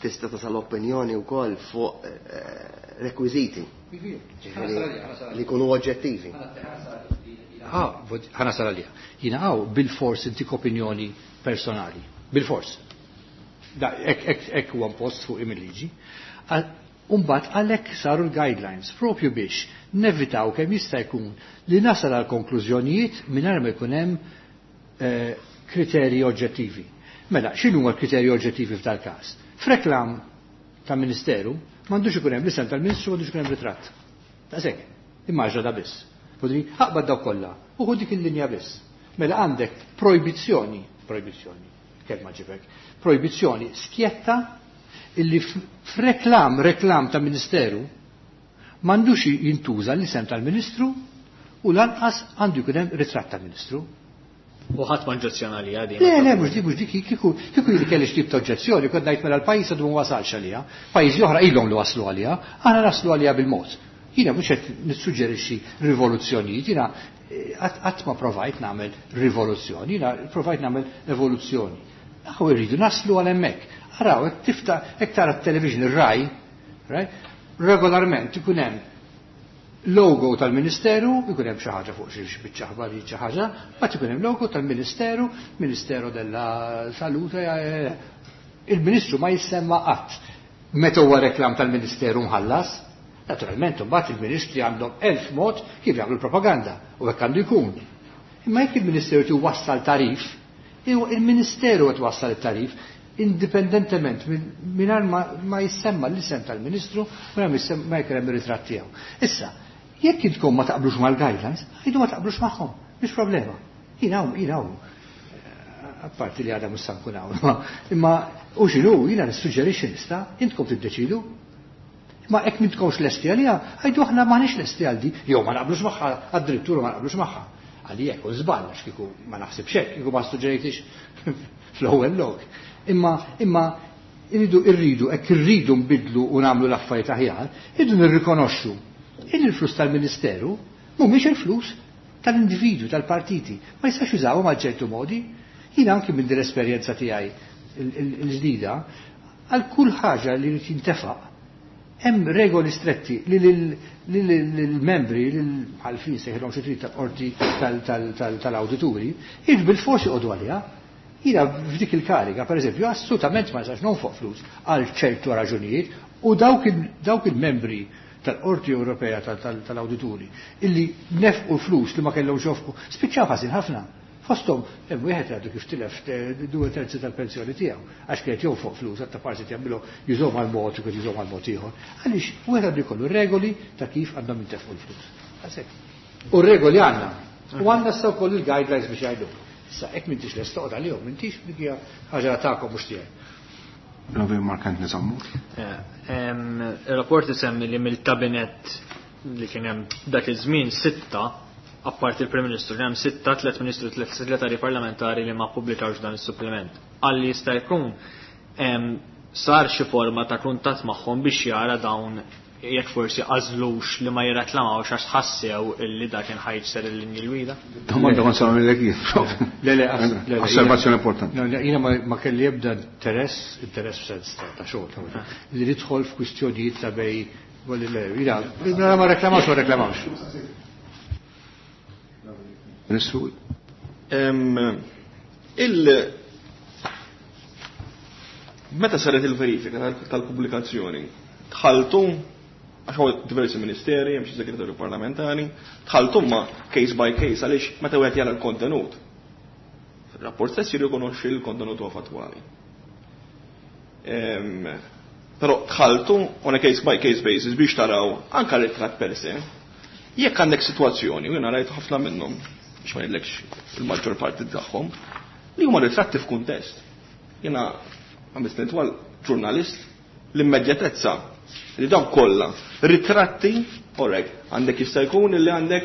tista' tasal opinjoni wkoll fuq rekwiżiti li jkunu oġġettivi. Ħa nasal għaliha. Jiena hawn bil-fors intik opinjoni personali. Bil-fors. Da, hekk huwa impost fuq il-liġi. Umbagħad għalhekk saru l-guidelines propju biex nevitaw kemm jista' jkun li nasal għal konklużjonijiet mingħajr ma jkun hemm kriterji oġġettivi. Mela, x'inhu huma l-kriterji oġġettivi f'dal każ? F'reklam ta' ministeru m'għandux ikun hemm l-isem tal-ministru, m'għandux ikun hemm ritratt. Daqshekk, immaġna da biss. Podri, aqbad daw kollha, u ħu dik il-linja biss. Mela għandek projbizzjoni, projbizzjoni, kelma ġibek, projbizzjoni skjetta illi f'reklam, reklam ta' ministeru, m'għandux jintuża l-isem tal-ministru u lanqas għandu jkun hemm ritratt tal-ministru. U ħadd ma oġġezzjona għaliha din. Le, le, mhux dik, mhux dik, kieku kieku jien kelli xi tip ta' oġġezzjoni, kont ngħid mela l-pajjiż għadu ma wasalx għaliha. Pajjiżi oħra ilhom li waslu għaliha, aħna naslu għaliha bil-mod. Jiena mhux qed nissuġġerixxi rivoluzzjonijiet, jiena qatt ma provajt nagħmel rivoluzzjoni, jiena provajt nagħmel evoluzzjoni. Aħna rridu naslu għal hemmhekk. Araw, hekk tifta' hekk tara t-television ir-Rai, right? Regolarment ikun hemm logo tal-Ministeru, ikun hemm xi ħaġa fuq xi biċċa ħbarijiet xi ħaġa, mbagħad ikun hemm logo tal-Ministeru, Ministero della Salute, il-Ministru ma jissemma qatt meta huwa reklam tal-Ministeru mħallas. Naturalment, imbagħad il-Ministri għandhom 1000 mod kif jagħmlu l-propaganda u hekk għandu jkun. Imma jekk il-Ministeru tiwassal tarif, il-Ministeru qed wassal it-tarif indipendentement mingħajr ma jissemma l-isem tal-Ministru, mingħajr ma jkun hemm ir-ritratt tiegħu. Issa, jekk intkom ma taqblux mal-guidelines, għidu ma taqblux magħhom, mhix problema. Jien hawn, jien hawn. Apparti li għadha mhux sa nkun hawn, imma u x'inhu, jiena nissuġġerixxi nista', intkom tiddeċidu. Ma hekk m'intkomx lesti għaliha, għidu aħna m'aħniex lesti għal di, jew ma naqblux magħha, għad-drittura ma naqblux magħha. Għalli hekk u żball għax kieku ma naħsibx hekk, kieku ma suġġerejtix fl-ewwel lok. Imma irridu, hekk irridu nbidlu u nagħmlu l-affarijiet aħjar, irridu nirrikonoxxu in il-flus tal-Ministeru mhumiex il-flus tal-individwu, tal-partiti, ma jistax jużawhom għal ċertu modi. Jiena anki minn din l-esperjenza tiegħi l-ġdida, għal kull ħaġa li jrid jintefaq, hemm regoli stretti li lill-membri, lill-ħalfin sejħilhom xi trid tal-qorti tal-awdituri, jiġu bil-fors joqogħdu għaliha. Jiena f'dik il-kariga, per eżempju, assolutament ma nistax nonfoq flus għal ċertu raġunijiet u dawk il-membri tal-Qorti Ewropea tal-Awdituri illi nefqu flus li ma kellhomx jofqu, spiċċaw ħażin ħafna. Fosthom hemm wieħed għadu kif tilef 2/3 tal-pensjoni tiegħu għax kienet jonfoq flus għatta parti jagħmilhom jużhom għal mod u kien jużhom għal mod ieħor. Għaliex wieħed għandu jkollu regoli ta' kif għandhom jintefqu l-flus. Għasek. U regoli għandna. U għandna issa wkoll il-guidelines biex jgħidu. Issa hekk m'intix lest toqgħod għalihom, m'intix dik hija ħaġa tagħkom mhux tiegħi. Ravi Mark Anthony Sammut. Il-rapport isemmi li mill-kabinet li kien hemm dak iż-żmien 6, apparti il-Prim Ministru, kien hemm 6, 3 ministru, 3 segretari parlamentari li ma ppubblikawx dan is-supplement. Għalli jista' jkun sar xi forma ta' kuntatt magħhom biex jara dawn jekk forsi għażlux li ma jirreklamawx għax ħassew illi dak kien ħajġser il-linji l-gwida. Domanda kont sa nagħmel jien. Le, le, le, le, Osservazzjoni importanti. No, le, jiena ma kelli ebda interess, interess f'sens ta' xogħol, li nidħol f'kwistjonijiet ta' bej, le, le, jiena, jiena ma reklamawx, ma reklamawx. Ministru. Meta saret il-verifika tal-pubblikazzjoni, dħaltu, għax hawn diversi ministeri, hemm xi segretarju parlamentari, dħaltu ma case by case għaliex meta wieħed jara l-kontenut. Il-rapport stess jirrikonoxxi l-kontenut huwa fattwali. Però dħaltu on a case by case basis biex taraw anka l-ritratt per se. Jekk għandek sitwazzjoni, u jiena rajt ħafna minnhom, biex ma ngħidlekx il-maġġor parti tagħhom, li huma ritratti f'kuntest. Jiena għamilt twal ġurnalist l-immedjatezza li dawn kollha ritratti, alright, għandek jista' jkun li għandek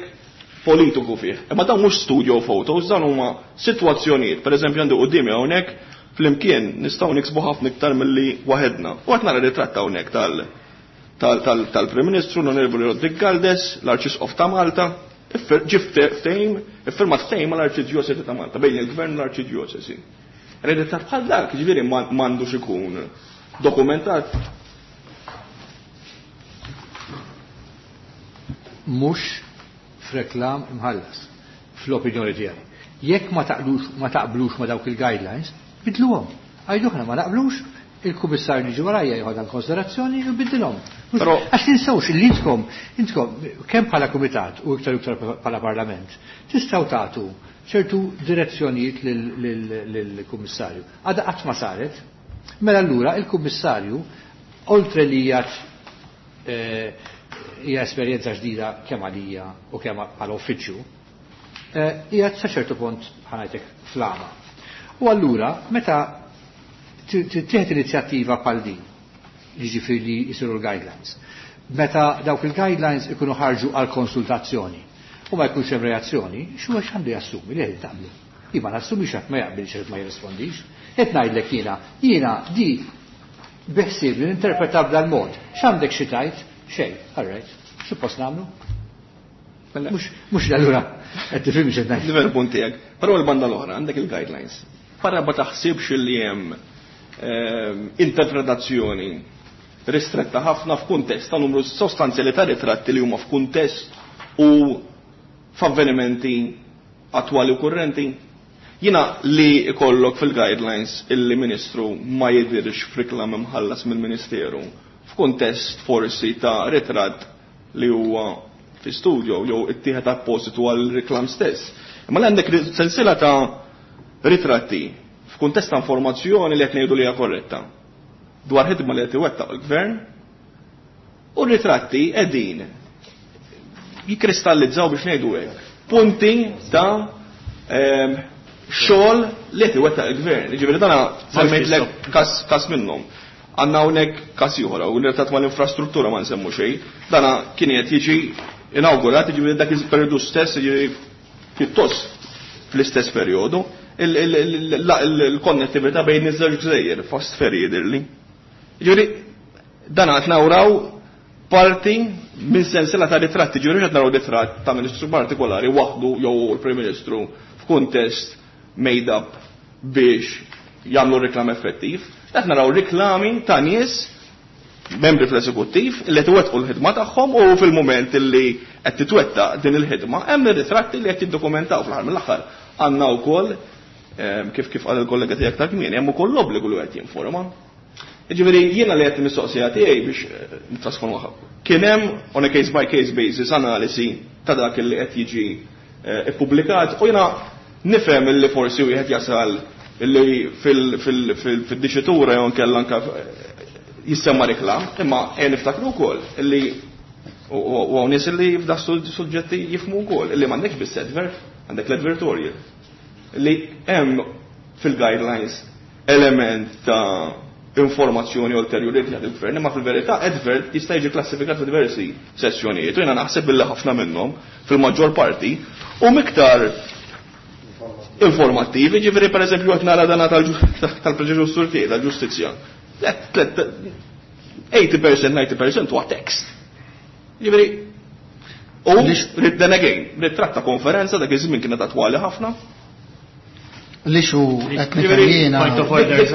politiku fih. Imma dawn mhux studio photos, dawn huma sitwazzjonijiet. Per eżempju għandu quddiemi hawnhekk flimkien nistgħu niksbu ħafna iktar milli waħedna. U qed nara ritratt hawnhekk tal-Prim Ministru l-Onorevoli Roderick Galdes, l-Arċisqof ta' Malta, ġie ftehim, iffirmat ftehim mal-Arċidjosesi ta' Malta, bejn il-Gvern u l-Arċidjosesi. Ritratt bħal dak, jiġifieri m'għandux ikun dokumentat. Mhux f'reklam imħallas, fl-opinjoni tiegħi. Jekk ma taqblux ma dawk il-guidelines, bidluhom. Għajdu aħna ma naqblux, il-kummissarju li ġi warajja jieħodha konsiderazzjoni u jbiddilhom. Però għax tinsewx li intkom kemm bħala kumitat u iktar u iktar bħala parlament, tistgħu tagħtu ċertu direzzjonijiet lill-kummissarju. Għadha qatt ma saret. Mela allura il-kummissarju, oltre li hija esperjenza ġdida kemm għalija u kemm bħala uffiċċju, hija sa ċertu punt ħanajtek flama. U allura meta tieħed inizjattiva bħal din, jiġifieri li jsiru l-guidelines, meta dawk il-guidelines ikunu ħarġu għal konsultazzjoni u ma jkunx hemm reazzjoni, x'huwa x'għandu jassumi li qed tagħmlu? Jien ma nassumix għad ma jaqbilx għad ma jirrispondix. Qed ngħidlek jiena, jiena di beħsieb li ninterpreta b'dal-mod. X'għandek xi tgħid? Xejn, all right. Suppost nagħmlu? Mhux allura qed tifhimni x'qed ngħid. Nifhem il-punt tiegħek. Però l-banda l-oħra għandek il-guidelines. Para ma taħsibx li hemm interpretazzjoni ristretta ħafna f'kuntest ta' numru sostanzjali ta' ritratti li huma f'kuntest u f'avvenimenti attwali u kurrenti. Jiena li ikollok fil-guidelines illi ministru ma jidhirx f'riklam imħallas mill-ministeru f'kuntest forsi ta' ritratt li huwa fi studio jew ittieħed appositu għal riklam stess. Imma li għandek sensiela ta' ritratti f'kuntest ta' informazzjoni li qed ngħidu li hija korretta dwar ħidma li qed iwettaq il-gvern u r-ritratti qegħdin jikkristallizzaw biex ngħidu hekk punti ta' xogħol li qed iwettaq il-gvern. Jiġifieri dana semmejtlek każ minnhom. Għandna hawnhekk każ ieħor, u ritratt mal-infrastruttura ma nsemmu xejn. Dana kien qed jiġi inawgurat, jiġifieri dak il-perjodu stess, jiġifieri pjuttost fl-istess perjodu, il-konnettività bejn iż-żewġ gżejjer, fast ferry jidhirli. Jiġifieri dan qed nawraw parti minn sensiela ta' ritratti, ġifieri qed naraw ritratt ta' ministru partikolari waħdu jew il-Prim Ministru f'kuntest made up biex jagħmlu reklam effettiv. Qed naraw riklami ta' nies membri fl-eżekuttiv li qed iwettqu l-ħidma tagħhom u fil-mument li qed titwettaq din il-ħidma hemm ir-ritratti li qed jiddokumentaw fl-aħħar mill-aħħar. Għandna wkoll kif qal il-kollega tiegħek ta' kmieni hemm ukoll l-obbligu li qed jinforma. Jiġifieri jiena li qed mistoqsija tiegħi biex nittrasformaha. Kien hemm on a case by case basis analisi ta' dak li qed jiġi ippubblikat u jiena nifhem li forsi wieħed jasal li fil-diċitura jew inkella anke jissemma reklam, imma ejja niftakru wkoll li u hawn nies li f'da suġġetti jifhmu wkoll li m'għandekx biss advert, għandek l-advertorial. Li hemm fil-guidelines element ta' informazzjoni ulterjuri li jagħti il-gvern, imma fil-verità advert jista' jiġi klassifikat f'diversi sessjonijiet. U jiena naħseb billi ħafna minnhom fil-maġġor parti u miktar informattivi, ġifieri pereżempju qed nara dana tal-preġudizzju tiegħi tal-ġustizzja. 80%, 90% huwa tekst. Ġifieri, u then again, ritratt ta' konferenza dak iż-żmien kienet attwali ħafna. Li xu qed nifhem jiena. Point of order, Dik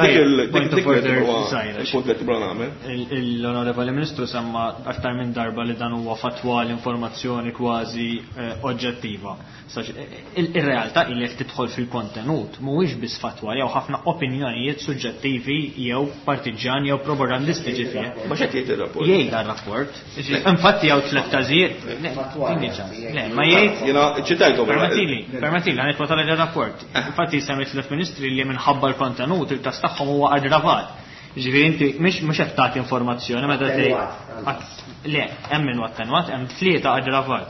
Point of dik order, huwa żgħira. il-punt li tibra nagħmel. L-Onorevoli Ministru semma aktar minn darba li dan huwa fatwa l-informazzjoni kważi oġġettiva. Ir-realtà hi li jekk tidħol fil-kontenut mhuwiex biss fatwa jew ħafna opinjonijiet suġġettivi jew partiġġani jew propagandistiċi fih. Ma x'qed jgħid ir-rapport? Jgħid dar-rapport. Infatti hawn tliet każijiet. Le, tini ċans. Le, ma jgħid. Jiena ċitajthom. Permettili, permettili, ħa nitwa tal-rapport. Infatti semmi tliet ministri li minħabba l-kontenut il-każ tagħhom huwa aggravat. Ġifieri inti mhux qed tagħti informazzjoni meta tgħid. Le, hemm min attenwat, hemm tlieta aggravat.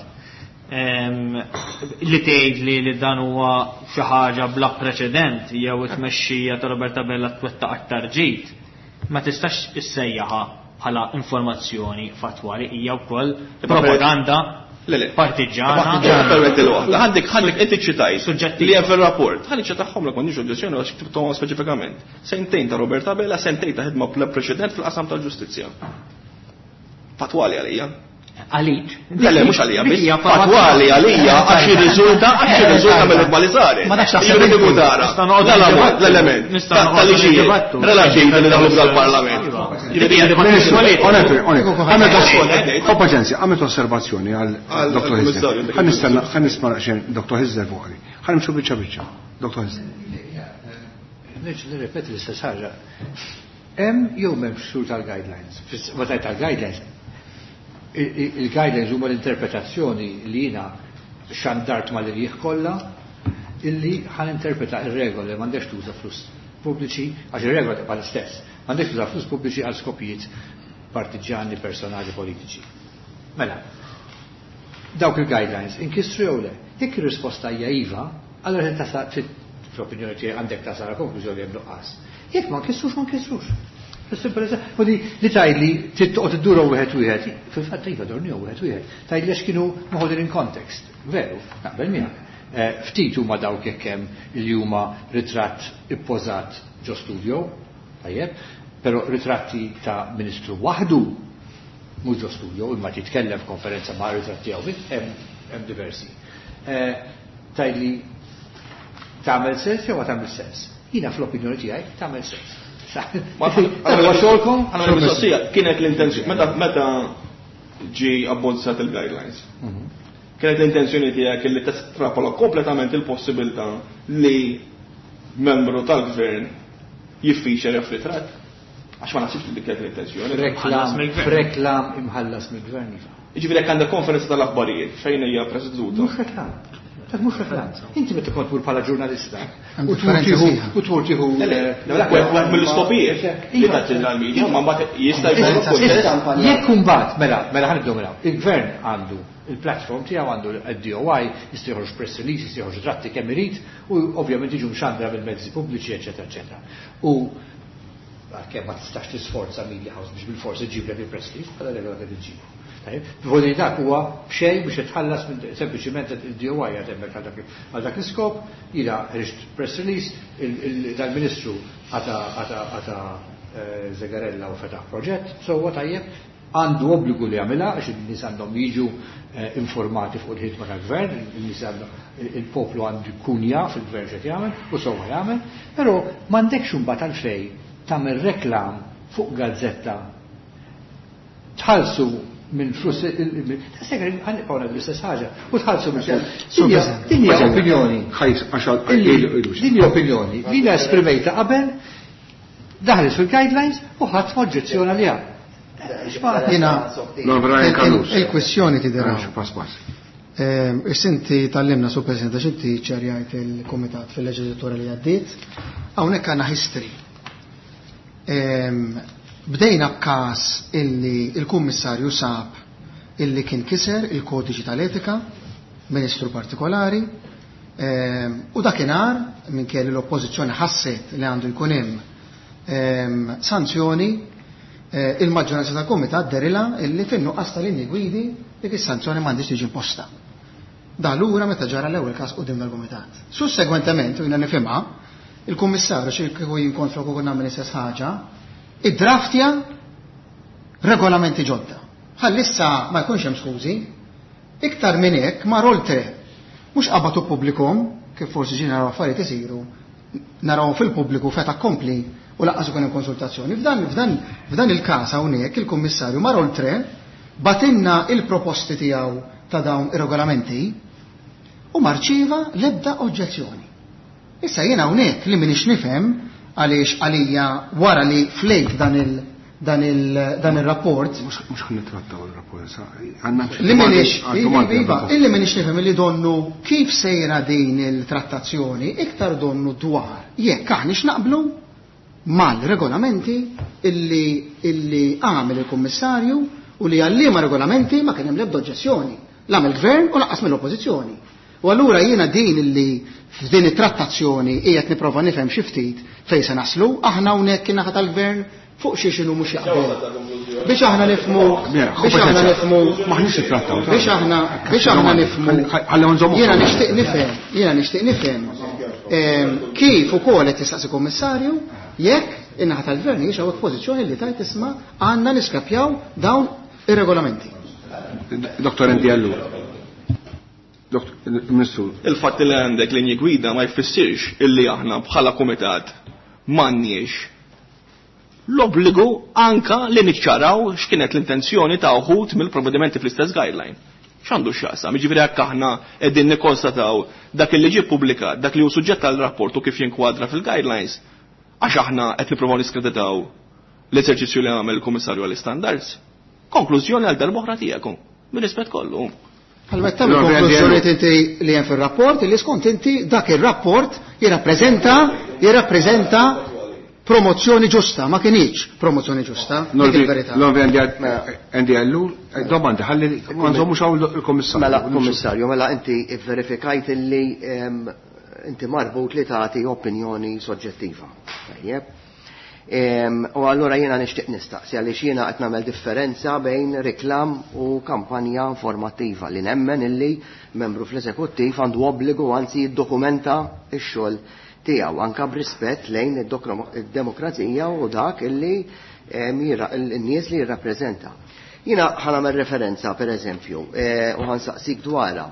Li tgħid li dan huwa xi ħaġa bla preċedent jew it-tmexxija ta' Roberta Abela twettaq aktar ġid, ma tistax issejjaħha bħala informazzjoni fatwali, hija wkoll propaganda partiġġana. Permetti l-waħda. Għandek inti ċitajt Suġġettiva. li hemm fir-rapport. Ħalli ċitahom lek m'għandix oġġezzjoni għax ktibthom speċifikament. Sentejn ta' Roberta Abela, sentejn ta' ħidma bla preċedent fil-qasam tal-ġustizzja. Fatwali għalija. Għalik. Le, le, mhux għalija, biss. Hija Fatwali għalija għax jirriżulta mill-ħidma li saret. Ma nafx taħseb Jiġifieri inti. kieku tara. Nista' noqgħod L-element, l-element. Nista' Ta' noqgħod tal-liġijiet niddibattu. relativi li daħlu f'dal-parlament. Iva. Jiġifieri Hija dibattitu għalik. Onetti, onetti. Onetti. Ho paċenzja, għamilt osservazzjoni għal Għal Dr. Hizzer. kummissarju, dik Ħa nistenna, ħa nisma' xejn Dr. Hizzer fuq għali. Ħa nimxu biċċa biċċa. Dr. Hizzer. Nerġa' nirrepeti l-istess ħaġa. Hemm jew m'hemmx ksur tal-guidelines. Meta tal-guidelines, il-guidelines huma l-interpretazzjoni li jiena xandart mal-irjieħ kollha illi ħan interpreta ir-regoli m'għandekx tuża flus pubbliċi, għax ir-regola tibqa' l-istess. M'għandekx tuża flus pubbliċi għal skopijiet partiġġani, personali, politiċi. Mela, dawk il-guidelines inkisru jew le? Jekk ir-risposta hija iva, allora trid fl-opinjoni tiegħi għandek tasal konklużjoni hemm nuqqas. Jekk ma nkissrux, ma nkissrux. U li tgħidli trid toqgħod iddura wieħed wieħed, fil-fatt iva dorni wieħed wieħed. Tgħidli għax kienu moħodin in context. Veru, naqbel miegħek. Ftit huma dawk jekk hemm li huma ritratt ippożat ġo studio, tajjeb, però ritratti ta' ministru waħdu mhux ġo studio, imma titkellem f'konferenza ma' ritratt tiegħu hemm diversi. Tgħidli tagħmel sens jew ma tagħmel sens? Jiena fl-opinjoni tiegħi tagħmel sens. Huwa xogħolkom? Għandna mistoqsija, kienet l-intenzjoni meta ġie abbozzat il-guidelines. Kienet l-intenzjoni tiegħek li testrapola kompletament il-possibilità li membru tal-gvern jiffeature jew ritratt? Għax ma naħsibx li dik kienet l-intenzjoni. F'reklam imħallas mill-gvern iva. Jiġifieri jekk għandek konferenza tal-aħbarijiet fejn hija preseduta. Mhux reklam. Dak mhux reklam. Inti meta kont tmur bħala ġurnalista u tmur tieħu wieħed mill-iskopijiet li tagħti l-media, ma mbagħad jista' jkollok kuntest. Jekk imbagħad mela mela ħa nibdew mela. Il-gvern għandu il-platform tiegħu, għandu d-DOI, jista' joħroġ press release, jista' joħroġ ritratti kemm irid u ovvjament jiġu mxandra mill-mezzi pubbliċi, eċetera, eċetera. U għalkemm ma tistax tisforza media house biex bil-forsi ġiblek il-press release, bħala regola qed iġġibu. Tajjeb, Voli dak huwa b'xejn biex itħallas minn sempliċiment il-DOI għad hemmhekk għal dak l-iskop, jiena ħriġt press release, dal-Ministru għata Zegarella u fetaħ proġett, sewwa tajjeb, għandu obbligu li jagħmilha għax in-nies għandhom jiġu informati fuq il-ħidma tal-gvern, in-nies il-poplu għandu jkun jaf il-gvern x'qed jagħmel u sewwa jagħmel, però m'għandekx imbagħad għalfejn tagħmel reklam fuq gazzetta tħallsu minn flus ħanibqgħu l-istess ħaġa u tħallsu minn flus. Din hija opinjoni. Din hija opinjoni li jiena esprimejta qabel, daħlet fil-guidelines u ħadd ma oġġezzjona liha. Jiena il-kwestjoni tidher. Is-sinti tallimna su President għax inti ċerjajt il-Kumitat fil-leġislatura li għaddiet, hawnhekk għandna history. Bdejna b'każ illi il-Kummissarju sab illi kien kiser il-kodiċi tal-etika, ministru partikolari, u dakinhar minn kelli l-oppożizzjoni ħasset li għandu jkun hemm sanzjoni, il-maġġoranza tal-Kumitat derila illi fin-nuqqas tal-linji gwidi dik is-sanzjoni m'għandix tiġi imposta. Da lura meta ġara l-ewwel każ quddiem dal-Kumitat. Sussegwentement, u jiena nifhimha, il-Kummissarju xi kieku jinkontra kieku nagħmel l-istess ħaġa, iddraftja regolamenti ġodda. Ħalli issa ma jkunx hemm skużi, iktar minn hekk mar oltre. Mhux qabatu pubblikum, kif forsi ġie naraw affarijiet isiru, naraw fil-pubbliku feta kompli u laqqas ikun hemm konsultazzjoni. F'dan il-każ hawnhekk il-Kummissarju mar oltre batinna il-proposti tiegħu ta' dawn ir-regolamenti u marċiva l-ebda oġġezzjoni. Issa jiena hawnhekk li m'iniex nifhem għaliex għalija wara li flejt dan il-rapport. Mhux ħa nittrattaw il-rapport, sa għandna Li m'iniex, iva, illi m'iniex nifhem li donnu kif sejra din il-trattazzjoni iktar donnu dwar jekk aħniex naqblu mal-regolamenti illi għamel il-Kummissarju u li għallima regolamenti ma kien hemm l-ebda oġġezzjoni, la mill-Gvern u lanqas mill-Oppożizzjoni. U allura jiena din illi f'din it-trattazzjoni qiegħed nipprova nifhem xi ftit fejn se naslu, aħna hawnhekk in-naħa tal-Gvern fuq xi x'inhu mhux jaqbel. Biex aħna nifhmu, biex aħna nifhmu, Maħniex nittrattaw. Biex aħna, biex aħna nifhmu. Ħalli nżommu. Jiena nixtieq nifhem, jiena nixtieq nifhem kif ukoll qed jistaqsi Kummissarju jekk in-naħa tal-Gvern hijiex hawnhekk pożizzjoni li tajt isma' għandna niskapjaw dawn ir-regolamenti. Dottor Andy Ellul. Ministru. Il-fatt li għandek linji gwida ma jfissirx illi aħna bħala kumitat m'għandniex l-obbligu anka li niċċaraw x'kienet l-intenzjoni ta' uħud mill-provvedimenti fl-istess guideline. X'għandu x'jaqsam? Jiġifieri jekk aħna qegħdin nikkonstataw dak li ġie ppubblikat, dak li hu suġġett tal-rapport u kif jinkwadra fil-guidelines, għax aħna qed nippruvaw niskreditaw l-eżerċizzju li għamel il-Kummissarju għall-Istandards. Konklużjoni għal darb'oħra tiegħek, bir-rispett kollu. Għal meta tagħmel konklużjoni inti li hemm fir-rapport, li skont inti dak ir-rapport jirrappreżenta promozzjoni ġusta, ma kienx promozzjoni ġusta, dik il-verità. L-Onorevoli Andy Ellul, domandi, ħalli ma nżommux hawn il-Kummissarju. Mela, Kummissarju, mela inti verifikajt illi inti marbut li tagħti opinjoni soġġettiva. Tajjeb. U allura jiena nixtieq nistaqsi għaliex jiena qed nagħmel differenza bejn reklam u kampanja informattiva li nemmen illi membru fl-eżekuttiv għandu obbligu anzi jiddokumenta x-xogħol tiegħu anke b'rispett lejn id-demokrazija u dak illi n-nies li jirrappreżenta. Jiena ħa nagħmel referenza pereżempju u ħa nsaqsik dwarha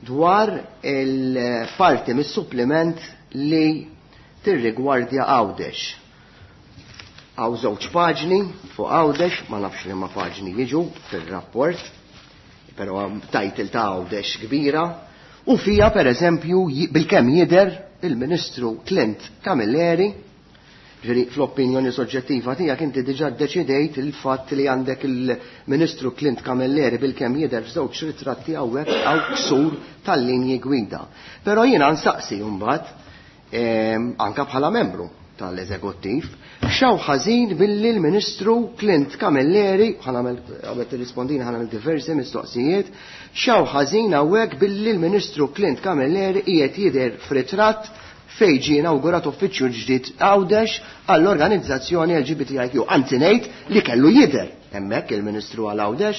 dwar il-parti mis-suppliment li tirrigwardja Għawdex. Hawn żewġ paġni fuq Għawdex, ma nafx liema paġni jiġu fir-rapport, però hemm title ta' Għawdex kbira, u fija pereżempju bilkemm jidher il-Ministru Clint Camilleri, ġifieri fl-opinjoni soġġettiva tiegħek inti diġà ddeċidejt il-fatt li għandek il-Ministru Clint Camilleri bilkemm jidher f'żewġ ritratti hawnhekk hawn ksur tal-linji gwida. Però jiena nsaqsi mbagħad anke bħala membru tal-eżekuttiv, x'hawn ħażin billi l-Ministru Clint Camilleri, ħa nagħmel qabel tirrispondini ħa nagħmel diversi mistoqsijiet, x'hawn ħażin hawnhekk billi l-Ministru Clint Camilleri qiegħed jidher f'ritratt fejn ġie inawgurat uffiċċju ġdid Għawdex għall-organizzazzjoni LGBTIQ. Anzi ngħid li kellu jidher hemmhekk il-Ministru għal Għawdex.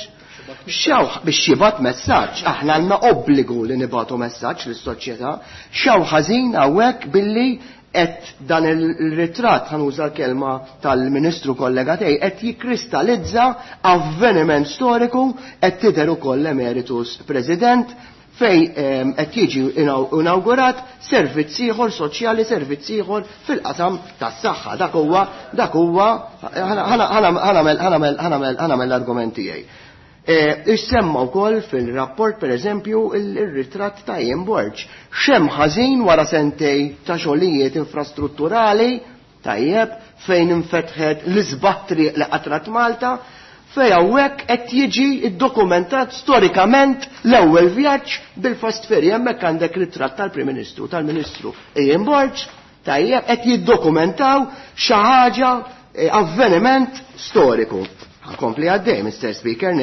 X'hawn biex jibgħat messaġġ, aħna għandna obbligu li nibgħatu messaġġ lis-soċjetà, x'hawn ħażin hawnhekk billi qed dan il-ritratt, ħa nuża l-kelma tal-Ministru kollega tiegħi, qed jikkristallizza avveniment storiku, qed tidher ukoll l-Emeritus President fejn qed jiġi inawgurat servizz ieħor soċjali, servizz ieħor fil-qasam tas-saħħa. Dak huwa, dak huwa, ħa nagħmel l-argument tiegħi. Issemma wkoll fil-rapport pereżempju il-ritratt ta' Ian Borg. X'hemm ħażin wara sentej ta' xogħlijiet infrastrutturali tajjeb fejn infetħet l-isbaħ triq li qatrat Malta, fejn hawnhekk qed jiġi ddokumentat storikament l-ewwel vjaġġ bil-fast ferry. Hemmhekk għandek ritratt tal-Prim Ministru, tal-Ministru Ian Borg, tajjeb qed jiddokumentaw xi ħaġa avveniment storiku. Ħankompli għaddej, Mr. Speaker.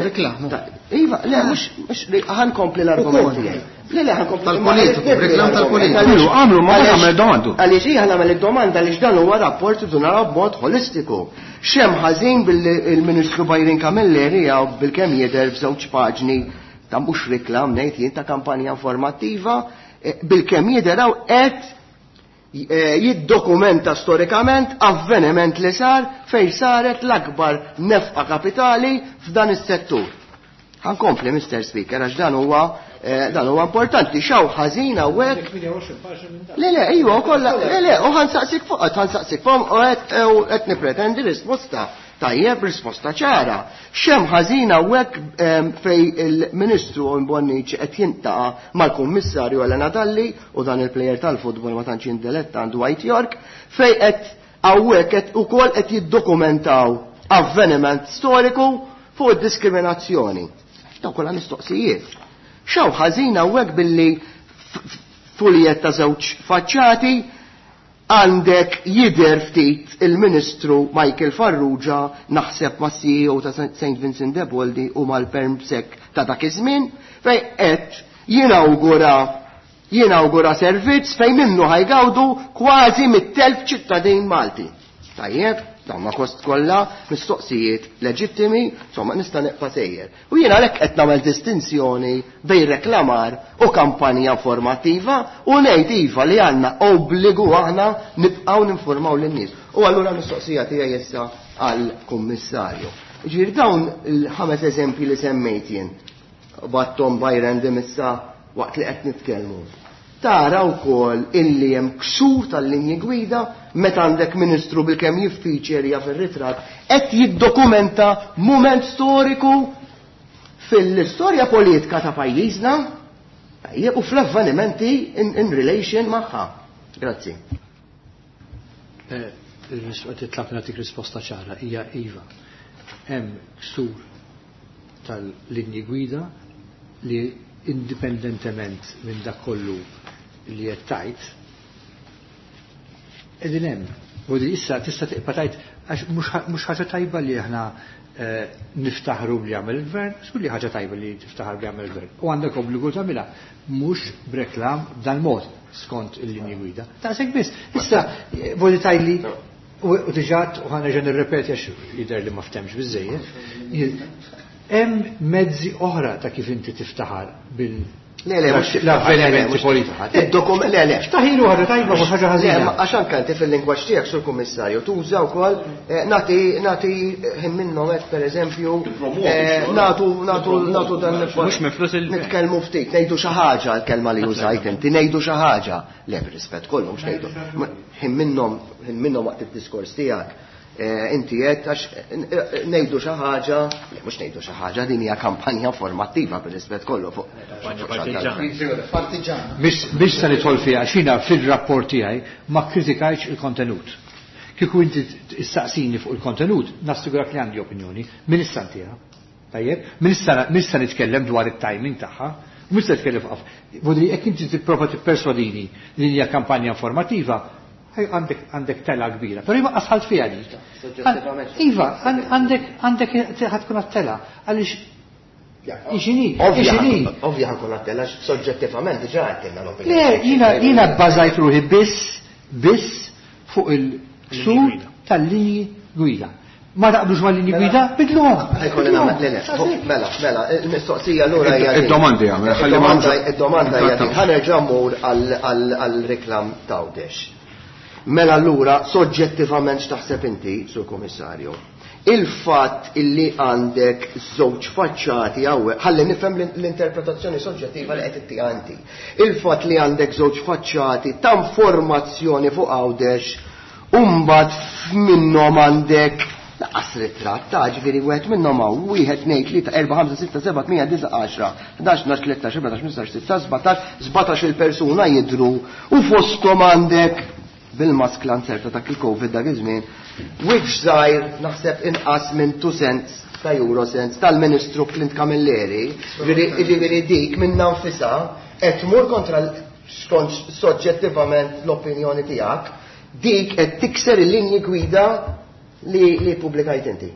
Reklam. Iva, le, mhux, ħankompli l-argument tiegħi. Le, le, ħankompli. Tal-politiku, reklam tal-politiku. Għamlu, għamlu, ma għamel domandu. Għaliex hija nagħmel id-domanda għaliex dan huwa rapport li naraw b'mod holistiku. X'hemm ħażin billi il-Ministru Byron Camilleri jew bilkemm jidher f'żewġ paġni ta' mhux reklam ngħid jien ta' kampanja informattiva, bilkemm jidher hawn qed jiddokumenta storikament avveniment li sar fejn saret l-akbar nefqa kapitali f'dan is-settur. Ħankompli, Mr. Speaker, għax dan huwa importanti. X'hawn ħażin hawnhekk? Le, le, iva, u kollha, le, le, u ħansaqsik fuq, ħansaqsik fuq, u qed nipretendi risposta. Tajjeb, risposta ċara. X'hemm ħażin hawnhekk fej il-Ministru Bonnici qed jintaqa' mal-Kummissarju Helena Dalli u dan il-plejer tal-futbol ma tantx jindeletta għandu Dwight Yorke, fej qed hawnhekk qed ukoll qed jiddokumentaw avveniment storiku fuq id-diskriminazzjoni. Dawn kollha mistoqsijiet. X'hawn ħażin hawnhekk billi fuljet ta' żewġ faċċati għandek jidher ftit il-Ministru Michael Farrugia naħseb ma' CEO ta' Saint Vincent de Paul u mal-Permsec ta' dak iż-żmien fej qed jinawgura servizz fejn minnu ħajgawdu kważi mit-telf ċittadin Malti. Tajjeb, dawn ma kost kollha mistoqsijiet leġittimi, insomma nista' neqpa' sejjer. U jiena għalhekk qed nagħmel distinzjoni bejn reklamar u kampanja informattiva u ngħid iva li għandna obbligu aħna nibqgħu ninformaw lin-nies. U allura l-mistoqsija tiegħi issa għall-Kummissarju. Ġifieri dawn il-ħames eżempji li semmejt jien, battom by random issa waqt li qed nitkellmu. Tara wkoll illi hemm ksur tal-linji gwida meta għandek ministru bilkemm jiffiċerja fir-ritratt qed jiddokumenta mument storiku fil-istorja politika ta' pajjiżna u fl-avvenimenti in relation magħha. Grazzi. Titlab nagħtik risposta ċara hija iva. Hemm ksur tal-linji gwida li indipendentement minn dak kollu li qed tajt, qegħdin hemm. U di issa tista' tibqa' tajt għax mhux ħaġa tajba li aħna niftaħru li għamel il-gvern, żgur li ħaġa tajba li tiftaħar li għamel il-gvern. U għandek obbligu tagħmilha mhux b'reklam b'dan mod skont il-linji gwida. Taqsek biss. Issa voglio tajli U diġà u ħa nerġa' nirrepeti għax jidher li ma ftemx biżejjed. Hemm mezzi oħra ta' kif inti tiftaħar bil Le, le, mhux l-avvenimenti politika. Id-dokument, le, le. Ftaħilu ħaġa tajba mhux ħaġa ħażina. Għax anke inti fil-lingwaġġ tiegħek sur kummissarju tuża wkoll nagħti nagħti ħin minnhom hekk pereżempju nagħtu nagħtu nagħtu dan Mhux minn flus il- nitkellmu ftit, ngħidu xi ħaġa l-kelma li użajt inti, ngħidu xi ħaġa. Le, bir-rispett kollu mhux ngħidu. Ħin minnhom ħin minnhom waqt id-diskors tiegħek inti qed għax ngħidu xi ħaġa, le mhux ngħidu xi ħaġa, din hija kampanja informattiva bir-rispett kollu fuq. Partiġana. Biex se nidħol fiha għax jiena fil-rapport tiegħi ma kkritikajtx il-kontenut. Kieku inti issaqsini fuq il-kontenut, nassigurak li għandi opinjoni, min issa ntiha. Tajjeb, min issa nitkellem dwar it-timing tagħha, u mhux se nitkellem fuq. Vodri jekk inti tipprova tipperswadini li hija kampanja informattiva, għandek tela kbira, pero jibqa sħalt fija dik. Iva, għandek għandek ħa tkun għat-tela, għaliex ixini, ixini. Ovvja ħa nkun għat-tela, soġġettivament diġà għedtilna l-opinjoni. Le, jiena bbażajt ruħi biss, biss fuq il-ksur tal-linji gwida. Ma taqblux ma' linji gwida, bidluhom. Ħajkolli nagħmel, le, le, mela, mela, il-mistoqsija allura hija din. Id-domandi għamel, ħalli ma Id-domanda hija din. Ħa nerġa' mmur għal-reklam t'Għawdex. Mela allura soġġettivament x'taħseb inti, Sur Kummissarju? Il-fatt illi għandek żewġ faċċati hawnhekk, ħalli nifhem l-interpretazzjoni soġġettiva li qed ittiha inti. Il-fatt li għandek żewġ faċċati ta' informazzjoni fuq Għawdex, u mbagħad minnhom għandek laqas ritratt ta' ġifieri wieħed minnhom hawn wieħed tnejn tlieta erba' ħamsa sitta seba' tmija disa' għaxra, ħdax, tnax, tlettax, erbatax, ħmistax, sittax, sbatax, 17 il-persuna jidhru u fosthom għandek bil-maskla nserta dak il-Covid dak iż-żmien, wiċċ żgħir naħseb inqas minn 2 cents ta' euro cents tal-Ministru Clint Camilleri, ġifieri dik minnha nfisha qed tmur kontra skont soġġettivament l-opinjoni tiegħek, dik qed tikser il-linji gwida li pubblikajt inti.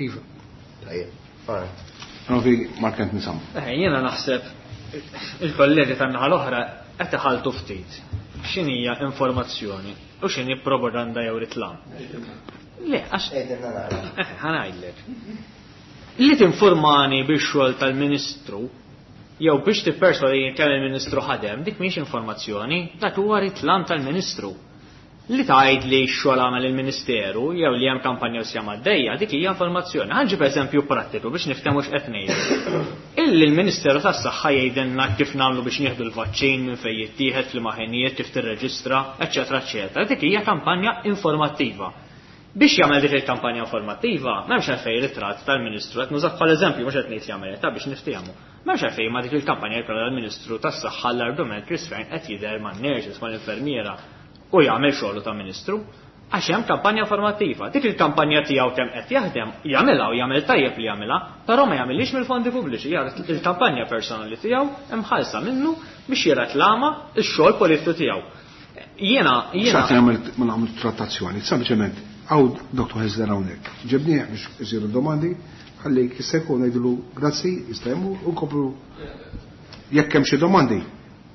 Iva. Tajjeb. Alright. Novi Mark Anthony Sam. Jiena naħseb il-kollegi tan-naħa l-oħra qed iħaltu ftit. X'inhija informazzjoni u x'inhi propaganda jew ritlam. Le, għax Għedilna nara. Ħa ngħidlek. Li tinformani bix-xogħol tal-Ministru jew biex tipperswadi kemm il-Ministru ħadem, dik mhix informazzjoni, dak huwa ritlam tal-Ministru. Li tgħid li x-xogħol għamel il-Ministeru jew li hemm kampanja u sjama għaddejja, dik hija informazzjoni. Ħa nġib eżempju prattiku biex niftehmu x'qed ngħidu. Illi l-Ministeru tas-Saħħa jgħidilna kif nagħmlu biex nieħdu l-vaċċin, minn fejn jittieħed, f'liema ħinijiet, kif tirreġistra, eċċetera, eċċetera. Dik hija kampanja informattiva. Biex jagħmel dik il-kampanja informattiva, m'hemmx għalfejn ritratt tal-Ministru, qed nużah bħala eżempju mhux qed ngħid jagħmel ta' biex niftehmu. M'hemmx għalfejn ma dik il-kampanja jkollha l-Ministru tas-Saħħa l-argument Chris Fearne qed jidher man-nurses, mal-infermiera u jagħmel xogħlu ta' Ministru. Għax hemm kampanja formattiva. Dik il-kampanja tiegħu kemm qed jaħdem, jagħmilha u jagħmel tajjeb li jagħmilha, però ma jagħmilhiex mill-fondi pubbliċi, jara il-kampanja personali tiegħu imħallsa minnu biex jirreklama x-xogħol politiku tiegħu. Jiena, jiena X'qed jagħmel ma nagħmlu trattazzjoni, sempliċement hawn Dr. Hyzler hawnhekk. Ġibnieh biex isiru domandi, ħalli jista' jkun ngħidulu grazzi, jista' jmur u nkomplu jekk hemm xi domandi.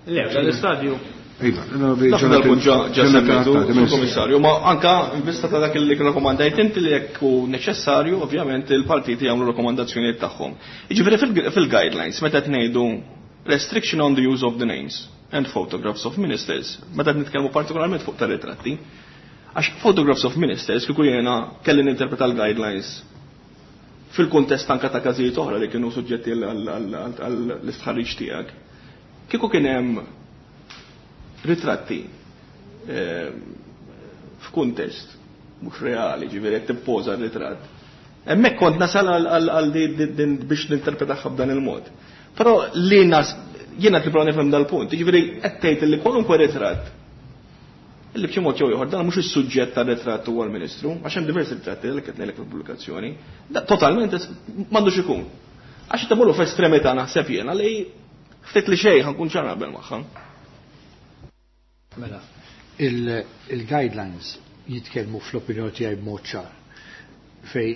Le, f'dan l-istadju. Iva, Dak dal-punt ġa semmejtu, Komissarju, ma anka in vista ta' dak li rakkomandajt inti li jekk hu neċessarju, ovvjament il-partiti jagħmlu rakkomandazzjonijiet tagħhom. Jiġifieri fil-guidelines meta qed ngħidu restriction on the use of the names and photographs of ministers, meta qed nitkellmu partikolarment fuq tar-ritratti, għax photographs of ministers kieku jiena kelli ninterpreta l-guidelines fil-kuntest anka ta' każijiet oħra li kienu suġġetti għall-istħarriġ tiegħek. Kieku kien hemm ritratti f'kuntest mhux reali, ġifieri qed tippoża r-ritratt. Hemmhekk kont nasal għal din biex ninterpretaha b'dan il-mod. Però li nas jiena nipprova nifhem dal-punt, jiġifieri qed tgħid li kwalunkwe ritratt illi b'xi mod jew ieħor dan mhux is-suġġett tar-ritratt huwa l-Ministru, għax hemm diversi ritratti li qed ngħidlek fil-pubblikazzjoni, da totalment m'għandux ikun. Għax qed imorru f'estremità naħseb jiena li ftit li xejn ħankun ċar naqbel magħha. Mela, il-guidelines jitkellmu fl-opinjoni tiegħi b'mod ċar fej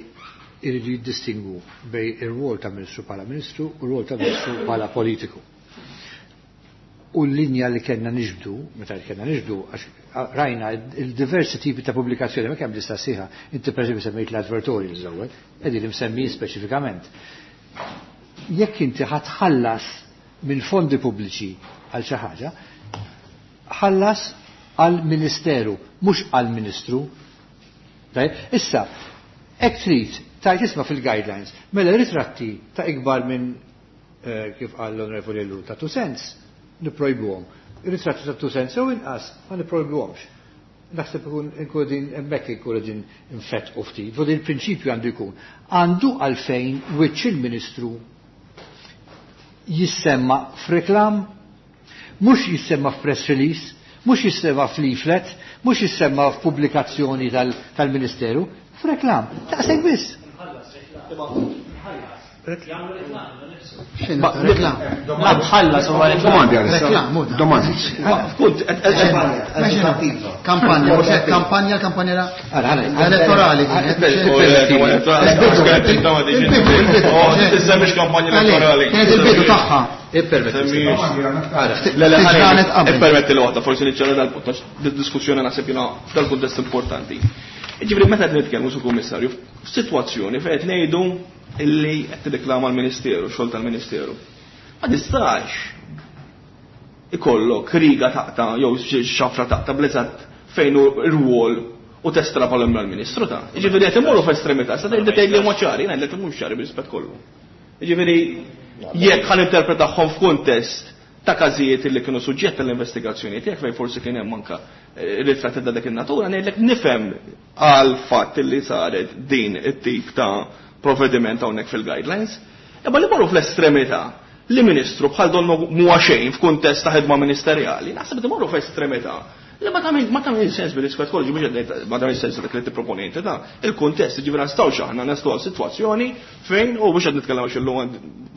iridu jiddistingwu bej ir-rwol ta' Ministru bħala Ministru u r-rwol ta' Ministru bħala politiku. U l-linja li kellna niġbdu, meta kellna niġbdu, għax rajna il-diversi tipi ta' pubblikazzjoni, ma kemm lista sħiħa, inti per semmejt l-advertorials l-ewwel, qegħdin imsemmin speċifikament. Jekk inti ħatħallas minn fondi pubbliċi għal xi ħaġa, ħallas għal ministeru, mhux għal ministru. Issa, hekk trid tajt isma' fil-guidelines, mela ritratti ta' ikbar minn kif qal l-Onorevoli Ellul ta' 2 cents, nipprojbuhom. Ritratti ta' 2 cents jew inqas ma nipprojbuhomx. Naħseb ikun inkun din hemmhekk ikun din infett u ftit. Fuq il-prinċipju għandu jkun. Għandu għalfejn wiċċ il-Ministru jissemma f'reklam, mhux jissemma f'press release, mhux jissemma f'leaflet, mhux jissemma f'pubblikazzjoni tal-Ministeru, f'reklam. Daqshekk biss. Reklam. Ma tħallas huwa reklam. Domandi għalissa. Reklam, hu da. Domandi. F'kunt, Kampanja, mhux hekk, kampanja, kampanja Ara, ara, elettorali kienet. Tissemmix kampanja elettorali. Kienet il-bidu tagħha. Ippermetti. Le, le, Tiġranet qabel. Ippermetti li waħda, forsi niċċara dal-punt, għax diskussjoni naħseb jiena f'dal-kuntest importanti. Ġifieri meta qed nitkellmu su kummissarju, f'sitwazzjoni fejn qed ngħidu illi qed tirreklama l-Ministeru, xogħol tal-Ministeru. Ma tistax ikollok riga taqta' jew xafra taqta' bl-eżatt fejn hu r-rwol u testrapolhom mal-Ministru ta'. Jiġifieri qed imorru f'estremità, sa tgħid tgħid li huma ċari, ngħidlek li mhux ċari bir-rispett kollu. Jiġifieri jekk ħa ninterpretahom f'kuntest ta' każijiet li kienu suġġett tal-investigazzjoni tiegħek fejn forsi kien hemm anke ritratti ta' dak in-natura, ngħidlek nifhem għal fatt li saret din it-tip ta' provvediment hawnhekk fil-guidelines. Imma li morru fl-estremità li ministru bħal donnu mhuwa xejn f'kuntest ta' ħidma ministerjali, naħseb li morru f'estremità li ma tagħmel ma tagħmel sens bil-rispett kollu, mhux qed ngħid ma tagħmel sens dak li tipproponi inti ta' il-kuntest, jiġifieri nistgħux aħna naslu għal sitwazzjoni fejn u mhux qed nitkellem għax illum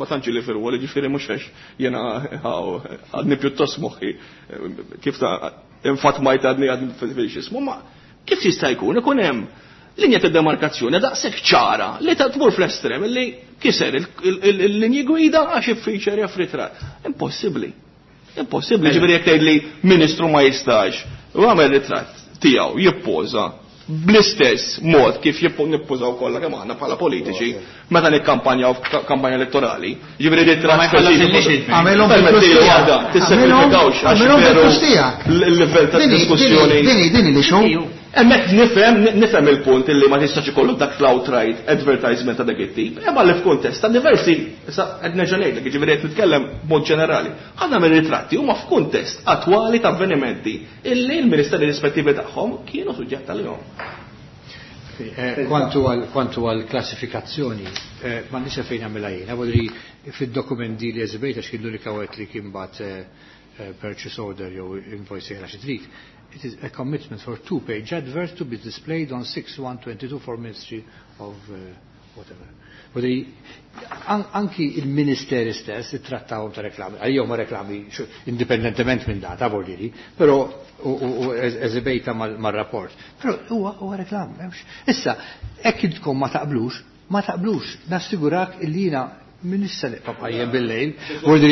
ma tantx li firwol, jiġifieri mhux għax jiena għadni pjuttost moħħi kif ta' infatt ma jtadni għadni fil-xismu, ma kif jista' jkun ikun hemm linja ta' demarkazzjoni daqshekk ċara li ta' tmur fl-estrem li kiser il-linji gwida għax iffiċer jaf ritratt. Impossibbli. Impossibbli, ġifieri jekk tgħid li ministru ma jistax u għamel ritratt tiegħu jippoża bl-istess mod kif nippożaw kollha kemm aħna bħala politiċi meta nikkampanjaw f'kampanja elettorali. Ġifieri ritratt Ma jħallas speċifiku. il-lixi. Għamilhom Permetti bil-flus waħda, tiegħek. tissekrifikawx għax Għamilhom veru bil-flus tiegħek. l-livell ta' diskussjoni. Dini li xu. Hemmhekk nifhem il-punt illi ma tistax ikollok dak l-outright advertisement ta' dak it-tip. Imma li f'kuntest ta' diversi, issa qed nerġa' ngħidlek, jiġifieri qed nitkellem b'mod ġenerali. Ħafna mir-ritratti huma f'kuntest attwali ta' avvenimenti illi l-ministeri rispettivi tagħhom kienu suġġett għalihom. Kwantu għal klassifikazzjoni, ma nix fejn għamilha jiena, vodri fid-dokumenti li eżibejt għax kien l-unika wieħed li kien bat purchase order jew invoice jgħala xi trid. It is a commitment for two-page advert to be displayed on 6/1/22 for Ministry of whatever. Vodri, anki il-ministeri stess ittrattawhom ta' reklami, għalihom ma reklami indipendentement minn data, vuol però u eżibejta mal-rapport. Però huwa reklam, m'hemmx. Issa, hekk intkom ma taqblux, ma taqblux, nassigurak illi jiena minn issa nibqa' bqajjem bil-lejl, vuol u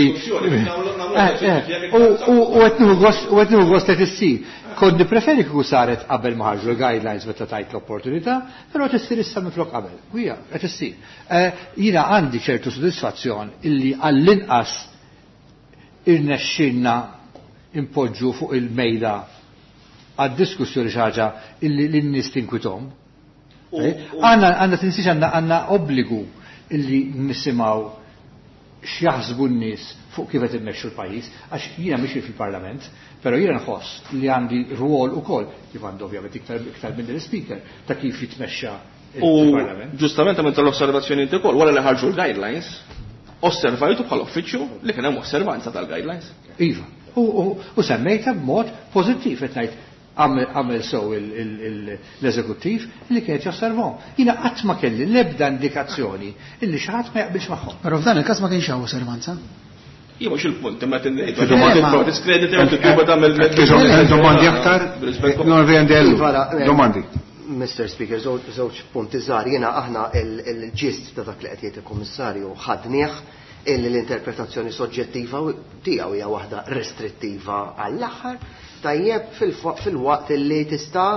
qed nieħu gost, u qed nieħu gost qed issir. Kont nippreferi kieku saret qabel ma ħarġu l-guidelines meta tajt l-opportunità, però qed issir issa minflok qabel. U hija qed issir. Jiena għandi ċertu sodisfazzjon illi għall-inqas irnexxinna impoġġu fuq il-mejda għad-diskussjoni xi ħaġa illi lin-nies tinkwithom. Għandna tinsiex għandna obbligu illi nisimgħu x'jaħsbu n-nies fuq kif qed immexxu l-pajjiż, għax jiena mhix fil-Parlament, però jiena nħoss li għandi rwol ukoll, kif għandu ovvjament iktar minn l-speaker, ta' kif jitmexxa il-Parlament. U ġustament għamilt l-osservazzjoni inti wkoll, wara li ħarġu l-guidelines, osservajtu bħala uffiċċju li kien hemm osservanza tal-guidelines. Iva, u semmejta b'mod pożittiv qed ngħid għamel sew l-eżekuttiv li kienet josservahom. Jiena qatt ma kelli l-ebda indikazzjoni illi xi ħadd ma jaqbilx magħhom. Però f'dan il-każ ma kienx hawn osservanza. Jien mhux il-punt, imma qed ngħid, Fi domandi. diskrediti u titluba tagħmel Domandi aktar? Non riendellu. Domandi. Mr. Speaker, żewġ punti żgħar. Jiena aħna il-ġist ta' dak li qed jgħid il-Kummissarju ħadnieh. illi l-interpretazzjoni soġġettiva tiegħu hija waħda restrittiva għall-aħħar, tajjeb fil-waqt illi tista',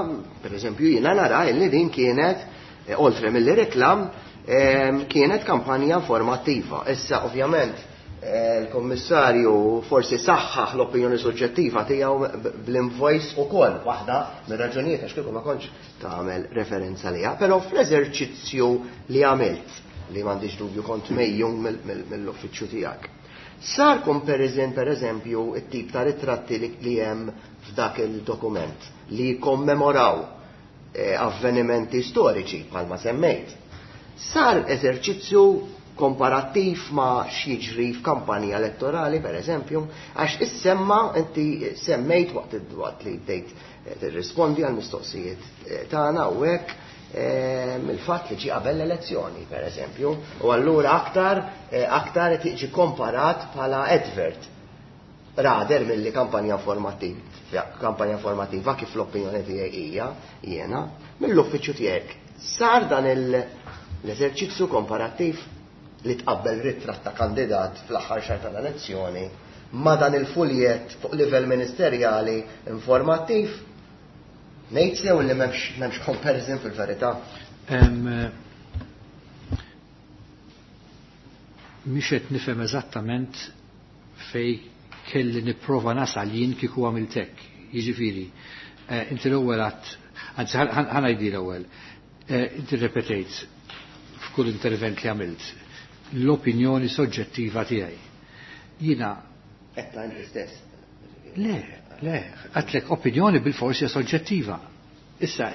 pereżempju jiena nara illi din kienet oltre milli reklam kienet kampanja informattiva. Issa ovvjament il-Kommissarju forsi saħħaħ l-opinjoni soġġettiva tiegħu bl-invoice ukoll waħda mir-raġunijiet għax kieku ma kontx tagħmel referenza liha, però fl-eżerċizzju li għamilt li m'għandix dubju kont mejjun mill-uffiċċju tiegħek. Sar comparison pereżempju it-tip ta' ritratti li hemm f'dak il-dokument li jikkommemoraw avvenimenti storiċi bħalma semmejt. Sar eżerċizzju komparattiv ma x'jiġri f'kampanja elettorali, per eżempju, għax issemma inti semmejt waqt li bdejt tirrispondi għal mistoqsijiet tagħna u hekk il-fatt li ġie qabel l-elezzjoni, per eżempju, u allura aktar aktar qed jiġi komparat bħala advert rather milli kampanja informattiva, kampanja informattiva kif l-opinjoni tiegħi hija jiena mill-uffiċċju tiegħek. Sar dan l-eżerċizzju komparattiv li tqabbel ritratt ta' kandidat fl-aħħar xahar tal-elezzjoni ma' dan il-fuljet fuq livell ministerjali informattiv? Ngħid sew li m'hemmx comparison fil-verità. Mhix qed nifhem eżattament fej kelli nipprova nasal jien kieku għamilt hekk. Jiġifieri, inti l-ewwel għadt, anzi ħa ngħidi l-ewwel, inti rrepetejt f'kull intervent li għamilt l-opinjoni soġġettiva tiegħi. Jiena Etta inti stess. Le, le, għedtlek opinjoni bil-forsi soġġettiva. Issa,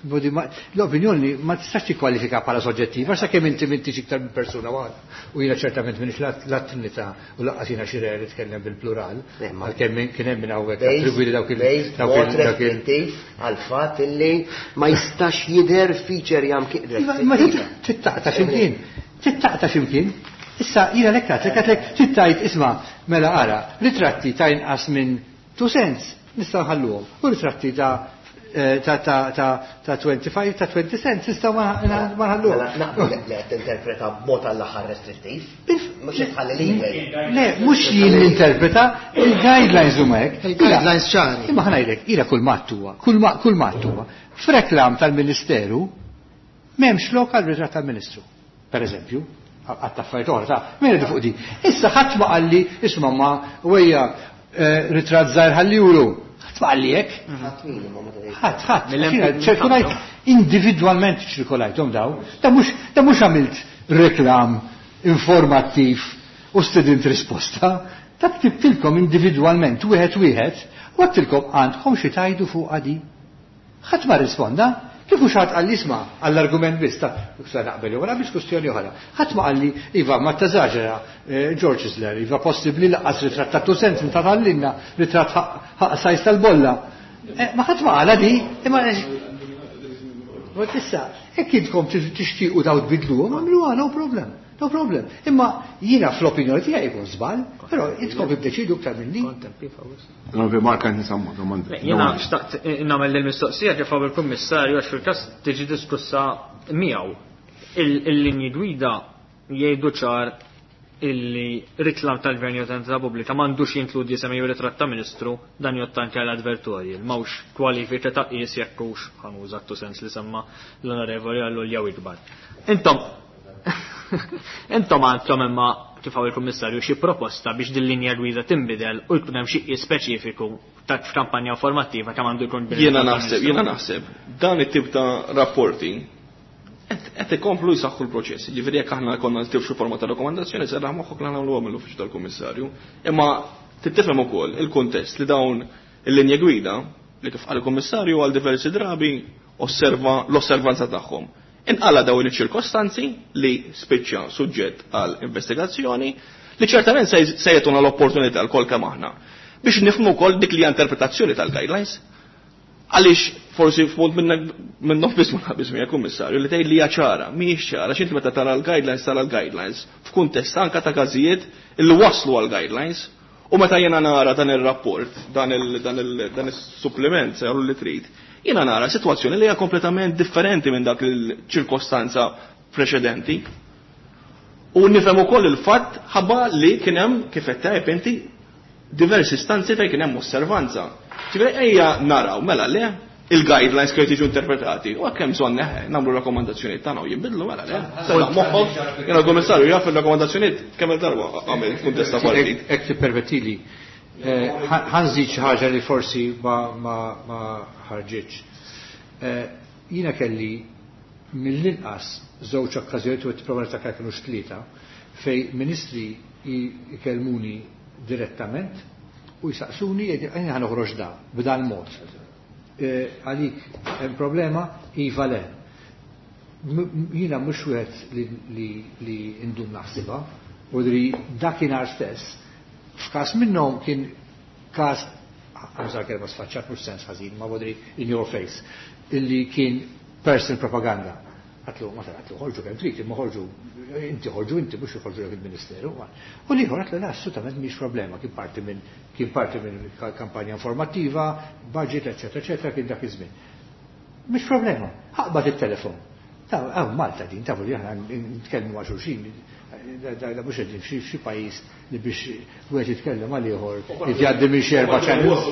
l-opinjoni ma tistax tikkwalifika bħala soġġettiva, sakemm inti m'intix iktar minn persuna waħda. U jiena ċertament m'iniex lat-Trinità u lanqas jiena xi re li tkellem bil-plural, għalkemm kien hemm minn hawnhekk attribwi li dawk il- Based dawk il- mod dawk il- restrittiv għal fatt illi ma jistax jidher feature jam ki- Iva, ma tittaqta x'imkien. Tittaqta x'imkien. Issa, jiena lek għedtlek, għedtlek, tittajt, isma', mela ara, ritratti ta' inqas minn 2 cents, nistgħu nħalluhom. U ritratti ta' 25, ta' 20 cents, nistgħu ma nħalluhom. Mela, naqbel li qed tinterpreta b'mod għall-aħħar restrittiv. Mhux qed tħalli lilek. Le, mhux jien ninterpreta, il-guidelines huma hekk. Il-guidelines ċari. Imma ħa ngħidlek, jiena kull ma huwa, kull ma huwa. F'reklam tal-Ministeru m'hemmx lok għal ritratt tal-Ministru, per eżempju, għatta affarijiet oħra, ta' min fuq di. Issa ħadd ma qalli, isma' ma wejja ritratt żgħir ħalli juru. Ħadd ma qalli hekk. Ħadd min imma ma tgħidx. Ħadd, ħadd. Mill-hemm Jiena mill-hemm ċirkolajt ħadd. individwalment ċirkolajthom daw. Da mhux għamilt reklam informattiv u stedint risposta. Ta' ktibtilkom individwalment wieħed wieħed u għedtilkom għandkom xi tajdu fuq għadi. Ħadd ma risponda. Kieku xi ħadd qalli isma' għall-argument biss ta' sa naqbel jew biex kwestjoni oħra. Ħadd ma qalli iva ma teżaġera George Isler, iva possibbli laqqas ritratt ta' 2 cents ta' tallinna ritratt ħaq sajs tal-bolla. Ma ħadd ma qala di, imma issa, hekk intkom tixtiequ daw tbidluhom, għamluha, no problem. No problem. Imma jiena fl-opinjoni tiegħi jkun żball, però intkom iddeċidu iktar minni. No, Mark, għandi nsammu domanda. Le, jiena xtaqt nagħmel il-mistoqsija kif hawn il-Kummissarju għax fil-każ tiġi diskussa miegħu. Il-linji gwida jgħidu ċar illi riklam tal-gvern jew tal-entità pubblika m'għandux jinkludi isem jew ritratt ta' ministru, dan jgħodd anke għal advertorial. M'hawnx kwalifika ta' qies jekk hux ħanuża t sens li semma l-onorevoli għallu jew ikbar. Intom għandkom imma kif hawn il-Kummissarju xi proposta biex din linja gwida tinbidel u jkun hemm xi qies speċifiku ta' f'kampanja informattiva kemm għandu jkun bil- Jiena naħseb dan it-tip ta' rapporti qed ikomplu jsaħħu l-proċess. Jiġifieri jekk aħna konna nistgħu xi forma ta' rakkomandazzjoni serraħ moħħok li nagħmluha mill-uffiċċju tal-Kummissarju. Imma tittifhem ukoll il-kuntest li dawn il-linja gwida li kif qal il-Kummissarju għal diversi drabi osserva l-osservanza tagħhom. Inqala dawn iċ-ċirkostanzi li spiċċa suġġett għal investigazzjoni li ċertament se jagħtuna l-opportunità l-kol kemm aħna biex nifhmu wkoll dik li hija interpretazzjoni tal-guidelines. Għaliex forsi f'mod minnhom biss ma naqbis miegħek Kummissarju li tgħid li hija ċara, mhijiex ċara, x'inti meta tara l-guidelines tara l-guidelines f'kuntest anke ta' każijiet li waslu għall-guidelines. U meta jiena nara dan ir-rapport, dan is-supplement se li trid, jiena nara sitwazzjoni li hija kompletament differenti minn dak il-ċirkostanza preċedenti. U nifhem ukoll il-fatt ħabba li kien hemm kif qed tajjeb inti diversi istanzi fejn kien hemm osservanza. Ġifieri ejja naraw mela le il-guidelines kif jiġu interpretati u hekk hemm bżonn nagħmlu rakkomandazzjonijiet tagħna u jinbidlu mela le. Sella moħħok, jiena l-Kummissarju jaf il-rakkomandazzjonijiet kemm il-darba għamel kuntest ta' partit. Hekk tippermettili, ħa nżid xi ħaġa li forsi ma ħarġitx. Jiena kelli mill-inqas żewġ okkażjonijiet u qed nipprova niftakar kinux tlieta fejn ministri jkellmuni direttament u jsaqsuni jgħidu jien ħa noħroġ da b'dan mod. Għalik hemm problema? Iva le. Jiena mhux wieħed li ndum naħsibha, u li dakinhar stess, f'każ minnhom kien każ, għamżar kelma sfaċċat mhux sens ħażin, ma bodri in your face, illi kien personal propaganda. Għatlu, ma għatlu, ħorġu kemm trid, imma ħorġu, inti ħorġu inti, mhux ħorġu lek il-Ministeru. U l-ieħor għatlu, la, assolutament mhix problema, kien parti minn kampanja informattiva, budget, eccetera, eccetera, kien dak iż-żmien. Mhix problema, ħaqbad it-telefon. Għaw Malta din, tafu li aħna nitkellmu ma' xulxin, da mhux qegħdin f'xi pajjiż li biex wieħed jitkellem għal ieħor jgħaddi minn xi erba' channels.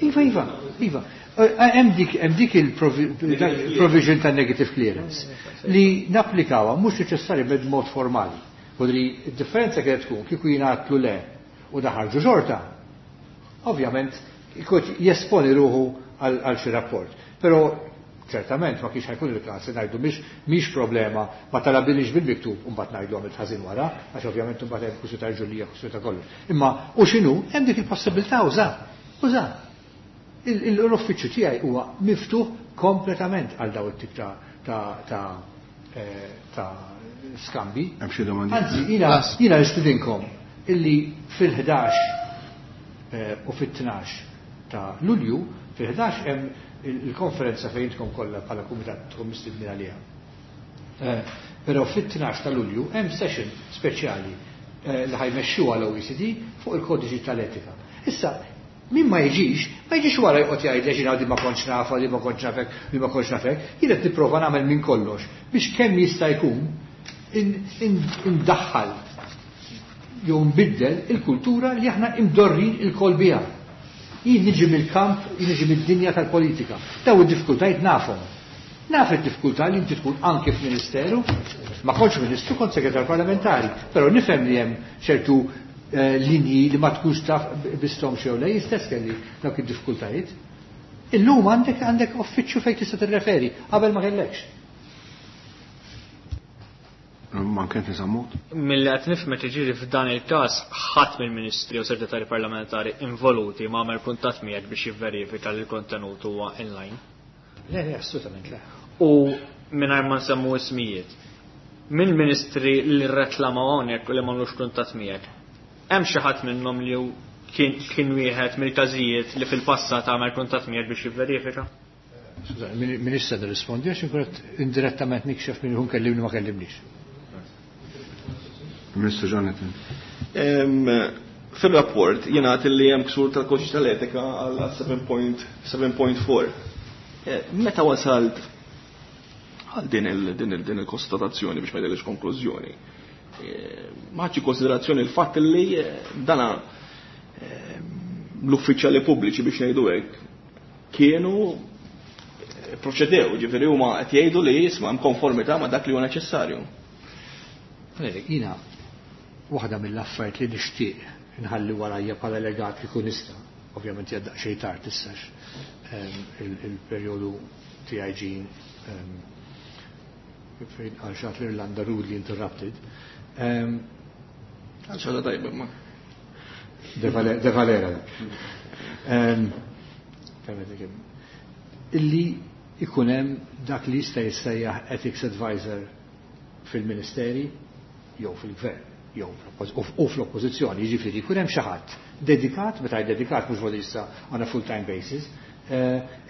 Iva, iva, iva. Hemm dik il-provision ta' negative clearance li napplikawha mhux neċessarjament b'mod formali. Podri d-differenza kienet tkun kieku jingħatlu le u daħarġu xorta. Ovvjament ikun jesponi ruħu għal xi rapport. Però ċertament ma kienx ħajkun il-każ li ngħidu mhix problema ma talabbilix bil-miktub u mbagħad ngħidu għamilt ħażin wara, għax ovvjament imbagħad hemm kwistjoni ta' ġulija, kwistjoni ta' kollox. Imma u x'inhu hemm dik il-possibilità uża. Uża. L-uffiċċju tiegħi huwa miftuħ kompletament għal daw it-tip ta' skambi. Hemm xi domandi? Anzi, jiena nistidinkom illi fil-11 u fit-12 ta' Lulju, fil-11 hemm il-konferenza fejn intkom kollha bħala kumitat tkun mistednin għaliha. Però fit-12 ta' Lulju hemm session speċjali li ħajmexxuha l-OECD fuq il-kodiċi tal-etika. Issa, min ma jiġix, ma jiġix wara joqgħod jgħid li ġina di ma kontx nafa, di ma kontx nafek, di ma kontx nafek, jien qed nipprova nagħmel minn kollox biex kemm jista' jkun indaħħal jew nbiddel il-kultura li aħna imdorrin il-kol biha. Jien niġi mill-kamp, jien niġi mid-dinja tal-politika. Daw id-diffikultajiet nafhom. Naf id-diffikultà li inti tkun anke f'ministeru, ma kontx ministru, kont segretar parlamentari, però nifhem li hemm ċertu linji li ma tkunx taf bistom xew le, jien stess kelli dawk id-diffikultajiet. Illum għandek uffiċċju fejn tista' tirreferi, qabel ma kellekx. Ma kien tisammut? Mill-li qed nifhem jiġifieri f'dan il-każ ħadd mill-ministri u segretari parlamentari involuti ma għamel kuntatt miegħek biex jivverifika li l-kontenut huwa inline. Le, le, assolutament le. U mingħajr ma nsemmu ismijiet, mill-ministri li rreklamaw hawnhekk u li m'għamlux kuntatt miegħek, hemm xi ħadd minnhom li kien wieħed mill-każijiet li fil-passat għamel kuntatt miegħek biex jivverifika? Skużani, min issa nirrispondi għax inkun qed indirettament nikxef min ikun kellimni ma kellimnix. Ministru Jonathan. Fil-rapport jingħad li hemm ksur tal-kodiċi tal-etika għal 7.4. Meta wasalt għal din il-konstatazzjoni biex ma jgħidilx konklużjoni, ma ħadx konsiderazzjoni l-fatt li dana l-uffiċjali pubbliċi biex ngħidu hekk kienu proċedew, ġifieri huma qed jgħidu li jisma' hemm konformità ma' dak li huwa neċessarju. Jiena waħda mill-affarijiet li nixtieq nħalli warajja bħala legat li kun nista', ovvjament hija daqsxejn tard issa il-perjodu tiegħi ġie fejn għal xatt l-Irlanda rudely interrupted. Għal xatt tajba ma. De Valera. Illi ikun hemm dak li jista' jissejjaħ ethics advisor fil-ministeri jew fil-gvern jew u fl-oppożizzjoni, jiġifieri jkun hemm xi ħadd dedikat, meta jgħid dedikat mhux voli issa on a full-time basis,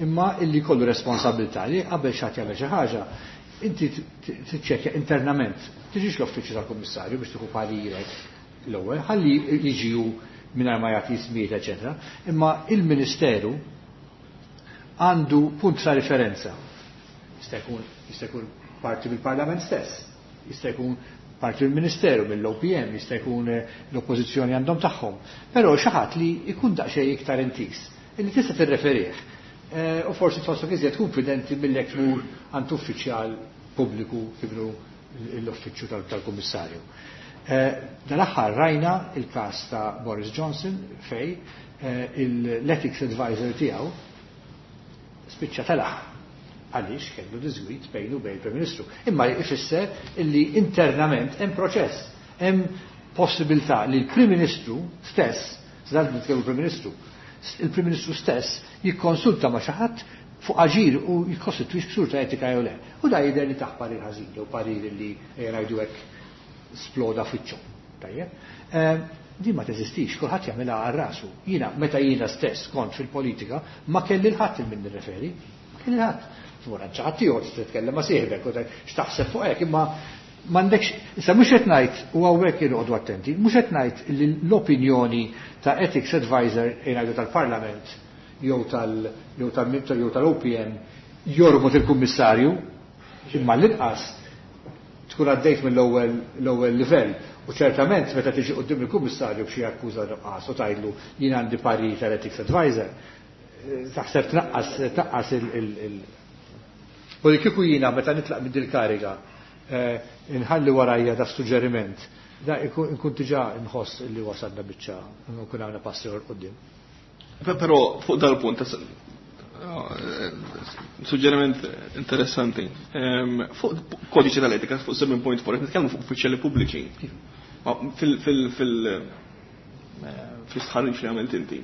imma illi jkollu responsabilità li qabel xi ħadd jagħmel xi ħaġa, inti tiċċekkja internament, tiġix l-uffiċċju tal-kummissarju biex tieħu parirek l-ewwel, ħalli jiġi hu mingħajr ma jagħti ismijiet, eċetera, imma il-Ministeru għandu punt ta' referenza. Jista' jkun parti mill-Parlament stess, jista' jkun parti mill-Ministeru, mill-OPM, jista' jkun l-oppożizzjoni għandhom tagħhom. Però xi ħadd li jkun daqsxejn iktar intis, illi tista' tirreferih. U forsi tħossok iżjed konfidenti milli jekk tmur għand uffiċjal pubbliku kibru l-uffiċċju tal-Kummissarju. Dal-aħħar rajna il-każ ta' Boris Johnson fej l-ethics advisor tiegħu spiċċa telaq għaliex kellu diżgwit bejnu bejn il-Prim Ministru. Imma ifisser illi internament hemm proċess, hemm possibilità li l-Prim Ministru stess, żgħar nitkellmu Prim Ministru, il-Prim Ministru stess jikkonsulta ma' xi ħadd fuq aġir u jikkostitwix ksur ta' etika jew le. U da jidher li taħ parir ħażin jew parir li ngħidu hekk sploda fiċċu. Tajjeb. Din ma teżistix, kulħadd jagħmilha għal rasu. Jiena meta jiena stess kont fil-politika ma kelli l-ħadd il min nirreferi, ma kelli l-ħadd. Tmur għand xi ħadd ieħor titkellem ma' sieħbek u x'taħseb fuq hekk, imma m'għandekx, issa mhux qed ngħid u hawnhekk irqodu attenti, mhux qed ngħid li l-opinjoni ta' ethics advisor jgħidu tal-Parlament jew tal-OPM jorbot il-kummissarju, imma l-inqas tkun għaddejt mill-ewwel livell. U ċertament meta tiġi quddiem il-kummissarju b'xi akkuża nuqqas u tgħidlu jien għandi parir tal-ethics advisor, taħseb tnaqqas il U li kieku jiena meta nitlaq minn dil-kariga inħalli warajja da suġġeriment, da nkun diġà nħoss li wasalna biċċa nkun għandna passi 'l quddiem. Però fuq dal-punt suġġeriment interessanti. Fuq kodiċi tal-etika, fuq 7.4, nitkellmu fuq uffiċjali pubbliċi. Fil-istħarriġ li għamilt inti,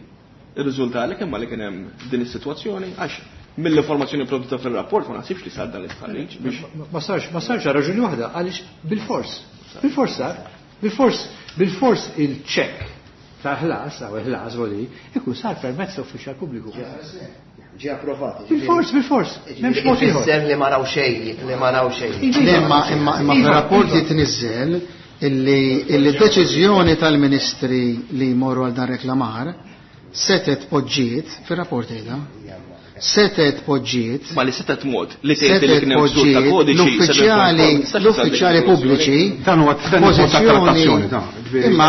ir-riżultat li kemm li kien hemm din is-sitwazzjoni għax mill-informazzjoni prodotta fil-rapport ma nasibx li sar dan l-istħarriġ biex Ma sarx għal raġuni waħda, għaliex bilfors. Bilfors sar, bilfors il-ċekk ta' ħlas, għaw ħlas voli, ikun sar permezz ta' uffiċjal pubbliku. Ġie approvat. Bilfors, bilfors. M'hemmx mod ieħor. Ifisser li ma raw xejn, li ma raw xejn. Imma imma imma fir-rapport jitniżżel illi d-deċiżjoni tal-ministri li jmorru għal dan reklamar setet poġġiet fir-rapport qiegħda. Setet poġġiet. Ma li setet mod li tgħid li kien hemm ksur ta' kodiċi. L-uffiċjali pubbliċi. Dan huwa trattazzjoni ta' Imma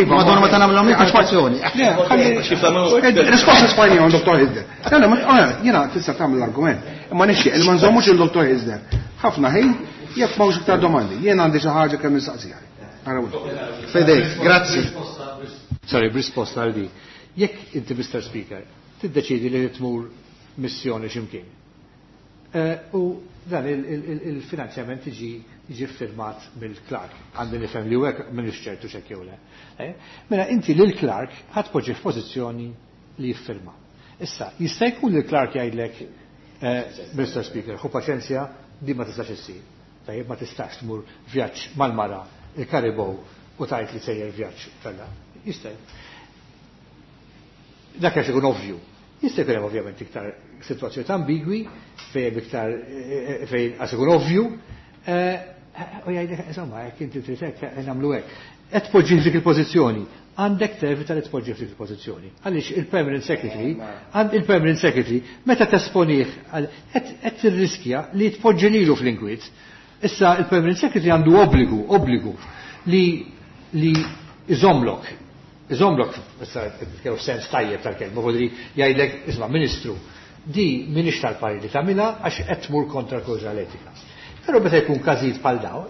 Madonna ma tagħmilhom trattazzjoni. Risposta Spanjola Dr. Hizder. Jiena tista' tagħmel l-argument. Imma nixtieq li ma nżommux il-Dr. Hizder. Ħafna ħin jekk m'hawnx iktar domandi. Jien għandi xi ħaġa kemm nistaqsiha. Fedej, grazzi. Sorry, b'risposta għal di. Jekk inti Mr. Speaker tiddeċidi li tmur missjoni x'imkien. U dan il-finanzjament jiġi firmat mill-Clark. Għandi nifhem li hekk m'iniex ċertu x'hekk jew le. Mela inti lil Clark ħadd poġġi f'pożizzjoni li jiffirma. Issa, jista' jkun li Clark jgħidlek, Mr. Speaker, ħu paċenzja, di ma tistax issir. Tajjeb ma tistax tmur vjaġġ mal-mara il-Karibow u tajt li sejjer vjaġġ tella. Jista' dak għax ikun ovvju. Jista' jkun hemm ovvjament iktar sitwazzjonijiet ambigwi fejn iktar fejn għax ikun ovvju. U jgħidlek insomma jekk inti trid hekk nagħmlu hekk. Qed tpoġġi f'dik il-pożizzjoni. Għandek tevita li tpoġġi f'dik il-pożizzjoni. Għaliex il-permanent secretary, għand il-permanent secretary meta tesponih qed tirriskja li tpoġġi lilu fl-inkwiet. Issa il-permanent secretary għandu obbligu li iżomlok. Iżomlok, issa kew sens tajjeb tal-kelma, vodri jgħidlek, isma' ministru, di minix tal-pari li tagħmilha għax qed tmur kontra l-kawża l-etika. Però meta jkun każijiet bħal daw,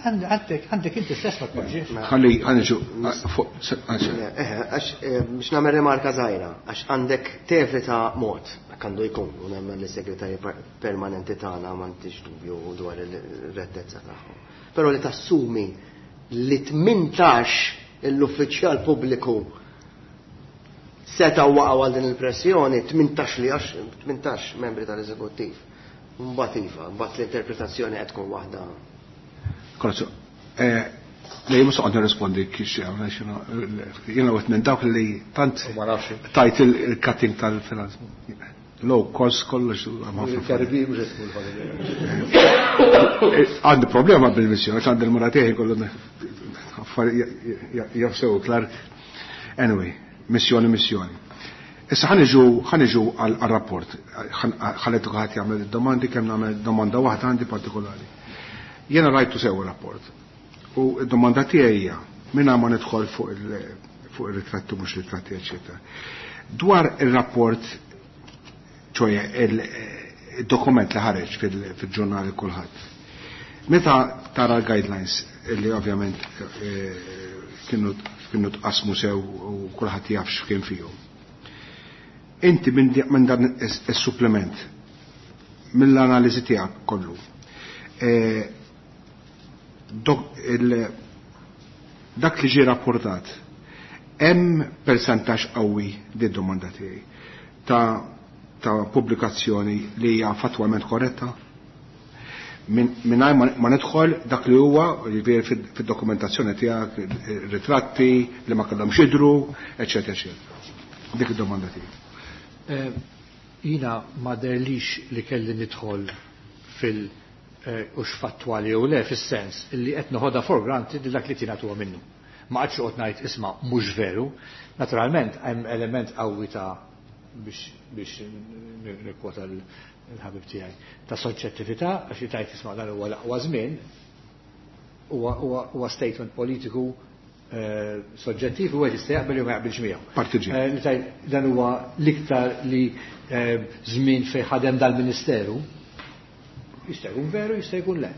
għandek inti stess ma tpoġġiex. Ħalli ħanġu Għax biex nagħmel rimarka żgħira, għax għandek tevita mod, hekk għandu jkun, u nemmen li segretarji permanenti tagħna m'għandix dubju dwar ir-rettezza tagħhom. Però li tassumi li 18 l-uffiċjal pubbliku seta' waqgħu għal din il-pressjoni 18 li għax 18 membri tal-eżekuttiv. Mbagħad iva, mbagħad l-interpretazzjoni qed tkun waħda. Korzu, le mhux qed nirrispondi kif jiena wieħed minn dawk li tant tajt il-cutting tal-finanz. Low cost kollox Għandi problema bil-missjoni, għax għandi l-mura tiegħi kollu jafsew klar. Anyway, missjoni, missjoni. Issa ħaniġu għal-rapport. Ħalletu ħadd jagħmel domandi kemm nagħmel domanda waħda għandi partikolari. Jiena rajtu sew rapport. U d-domanda tiegħi hija mingħajr ma nidħol fuq ir-ritratti mhux ritratti, eċetera. Dwar ir-rapport, ċoje il-dokument li ħareġ fil-ġurnali kulħadd. Meta tara l-guidelines li ovvjament kienu tqasmu sew u kulħadd jaf x'kien fihom. Inti minn dan is-supplement, mill-analiżi tiegħek kollu, dak li ġie rapportat, hemm persentaġġ qawwi di domanda tiegħi ta' pubblikazzjoni li hija fattwalment korretta? Mingħajr ma nidħol dak li huwa jiġifieri fid-dokumentazzjoni tiegħek, ritratti li ma kellhomx jidhru, eċetera, eċetera. Dik id-domanda tiegħi. Jiena ma derlix li kelli nidħol fil- hux fattwali jew le, fis-sens li qed noħodha for granted li dak li tingħad huwa minnu. Ma qgħadx noqgħod ngħid isma' mhux veru. Naturalment hemm element qawwi ta' biex nikkwota l-ħabib tiegħi ta' soġġettività, għax li tajt isma' dan huwa l-aqwa żmien, huwa statement politiku soġġettiv u għed jista' jaqbel jew ma jaqbilx miegħu. Partiġi. Li tajt dan huwa l-iktar li żmien fejn ħadem dal-Ministeru, jista' jkun veru, jista' jkun le.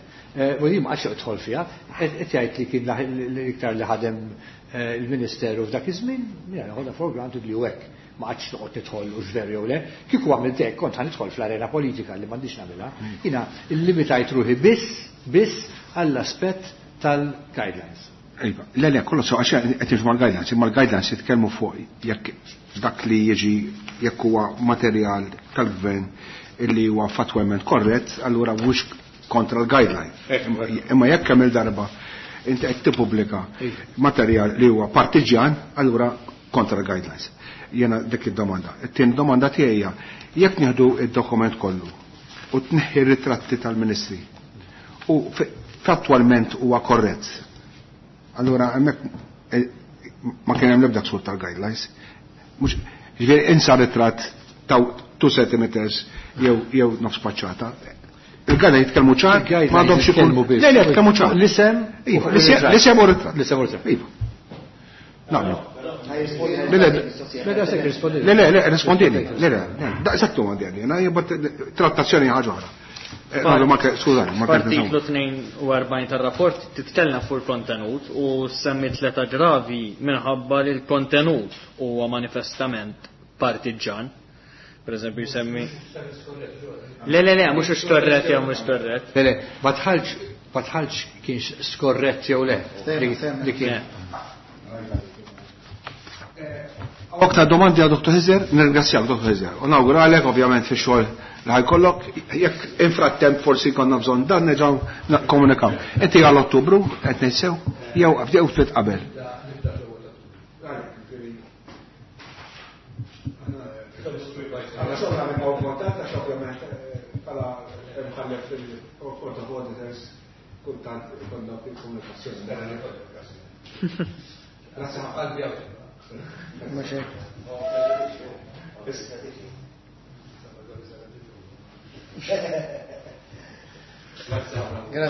U jien ma qgħadx idħol fiha, qed jgħid li kien l-iktar li ħadem il-Ministeru f'dak iż-żmien, jiena noħodha for granted li hu hekk. Ma qgħadx noqgħod nidħol u x'veru jew le. Kieku għamilt hekk kont ħanidħol fl-arena politika li m'għandix nagħmilha. Jiena illimitajt ruħi biss għall-aspett tal-guidelines. Iva, le, le, kollu sew, għax qed niġu mal-guidelines, imma l-guidelines jitkellmu fuq jekk dak li jiġi jekk huwa materjal tal-gvern illi huwa fattwalment korrett, allura mhux kontra l-guideline. Imma jekk kemm il-darba inti qed tippubblika materjal li huwa partiġjan, allura kontra l-guidelines. Jena dik id-domanda. It-tieni domanda tiegħi hija jekk nieħdu id-dokument kollu u tneħħi ritratti tal-ministri u fattwalment huwa korrett. Allura hemmhekk ma kien hemm l-ebda ksur tal-guidelines. Mhux ġifieri insa ritratt ta' 2 centimeters jew nofs paċċata. Il-guidelines jitkellmu ċar, Il-guidelines ma għandhomx ikun jitkellmu biss. Le, le, jitkellmu ċar. L-isem Iva, u r-ritratt. l-isem u r-ritratt. L-isem u r-ritratt. Iva. Naqblu. Le, le, Le, da sekk rispondili. Le, le, le, rispondili. Le, le, le. Da, eżattu ma għandi, jena, jibba trattazzjoni ħaġa oħra. Nagħmlu ma ke-, skużani, ma ke- F'artiklu 42 tar-rapport titkellem fuq il-kontenut u semmi tliet aggravi minħabba li l-kontenut huwa manifestament partiġan. Per eżempju jsemmi Le, le, le, mhux skorrett jew mhux skorrett. Le, le, ma tħallx, ma tħallx kienx skorrett jew le. Li kien. Aktar domandi għal Dottor Hizzer, nirringrazzjak Dottor Hizzer. U nawguralek ovvjament fix-xogħol li ħajkollok, jekk infrattemp forsi konna bżonn dan nerġgħu nikkomunikaw. Inti għal Ottubru qed ngħid sew, jew jew ftit qabel.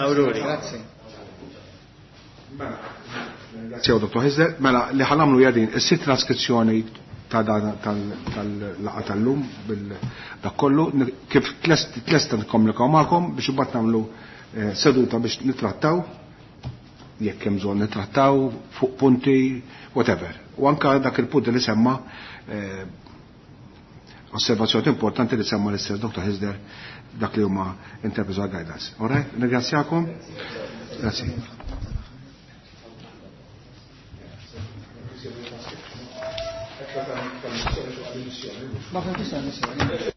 Aurori. Grazie. Grazie, Dottor Hizzer. Mela, li ħanamlu jadin, is-sitt traskrizzjoni ta' dan tal-laqa tal-lum bil-dak kollu, kif tlesta nikkomunikaw magħkom biex imbagħad nagħmlu seduta biex nittrattaw, jekk hemm bżonn nittrattaw fuq punti, whatever. U anka dak il-punt li semma osservazzjoni importanti li semma l-istess Dottor Hizzer dak li huma interpretal guidance. All right? Ringrazzjakom. Grazie. Ma femmx missjoni.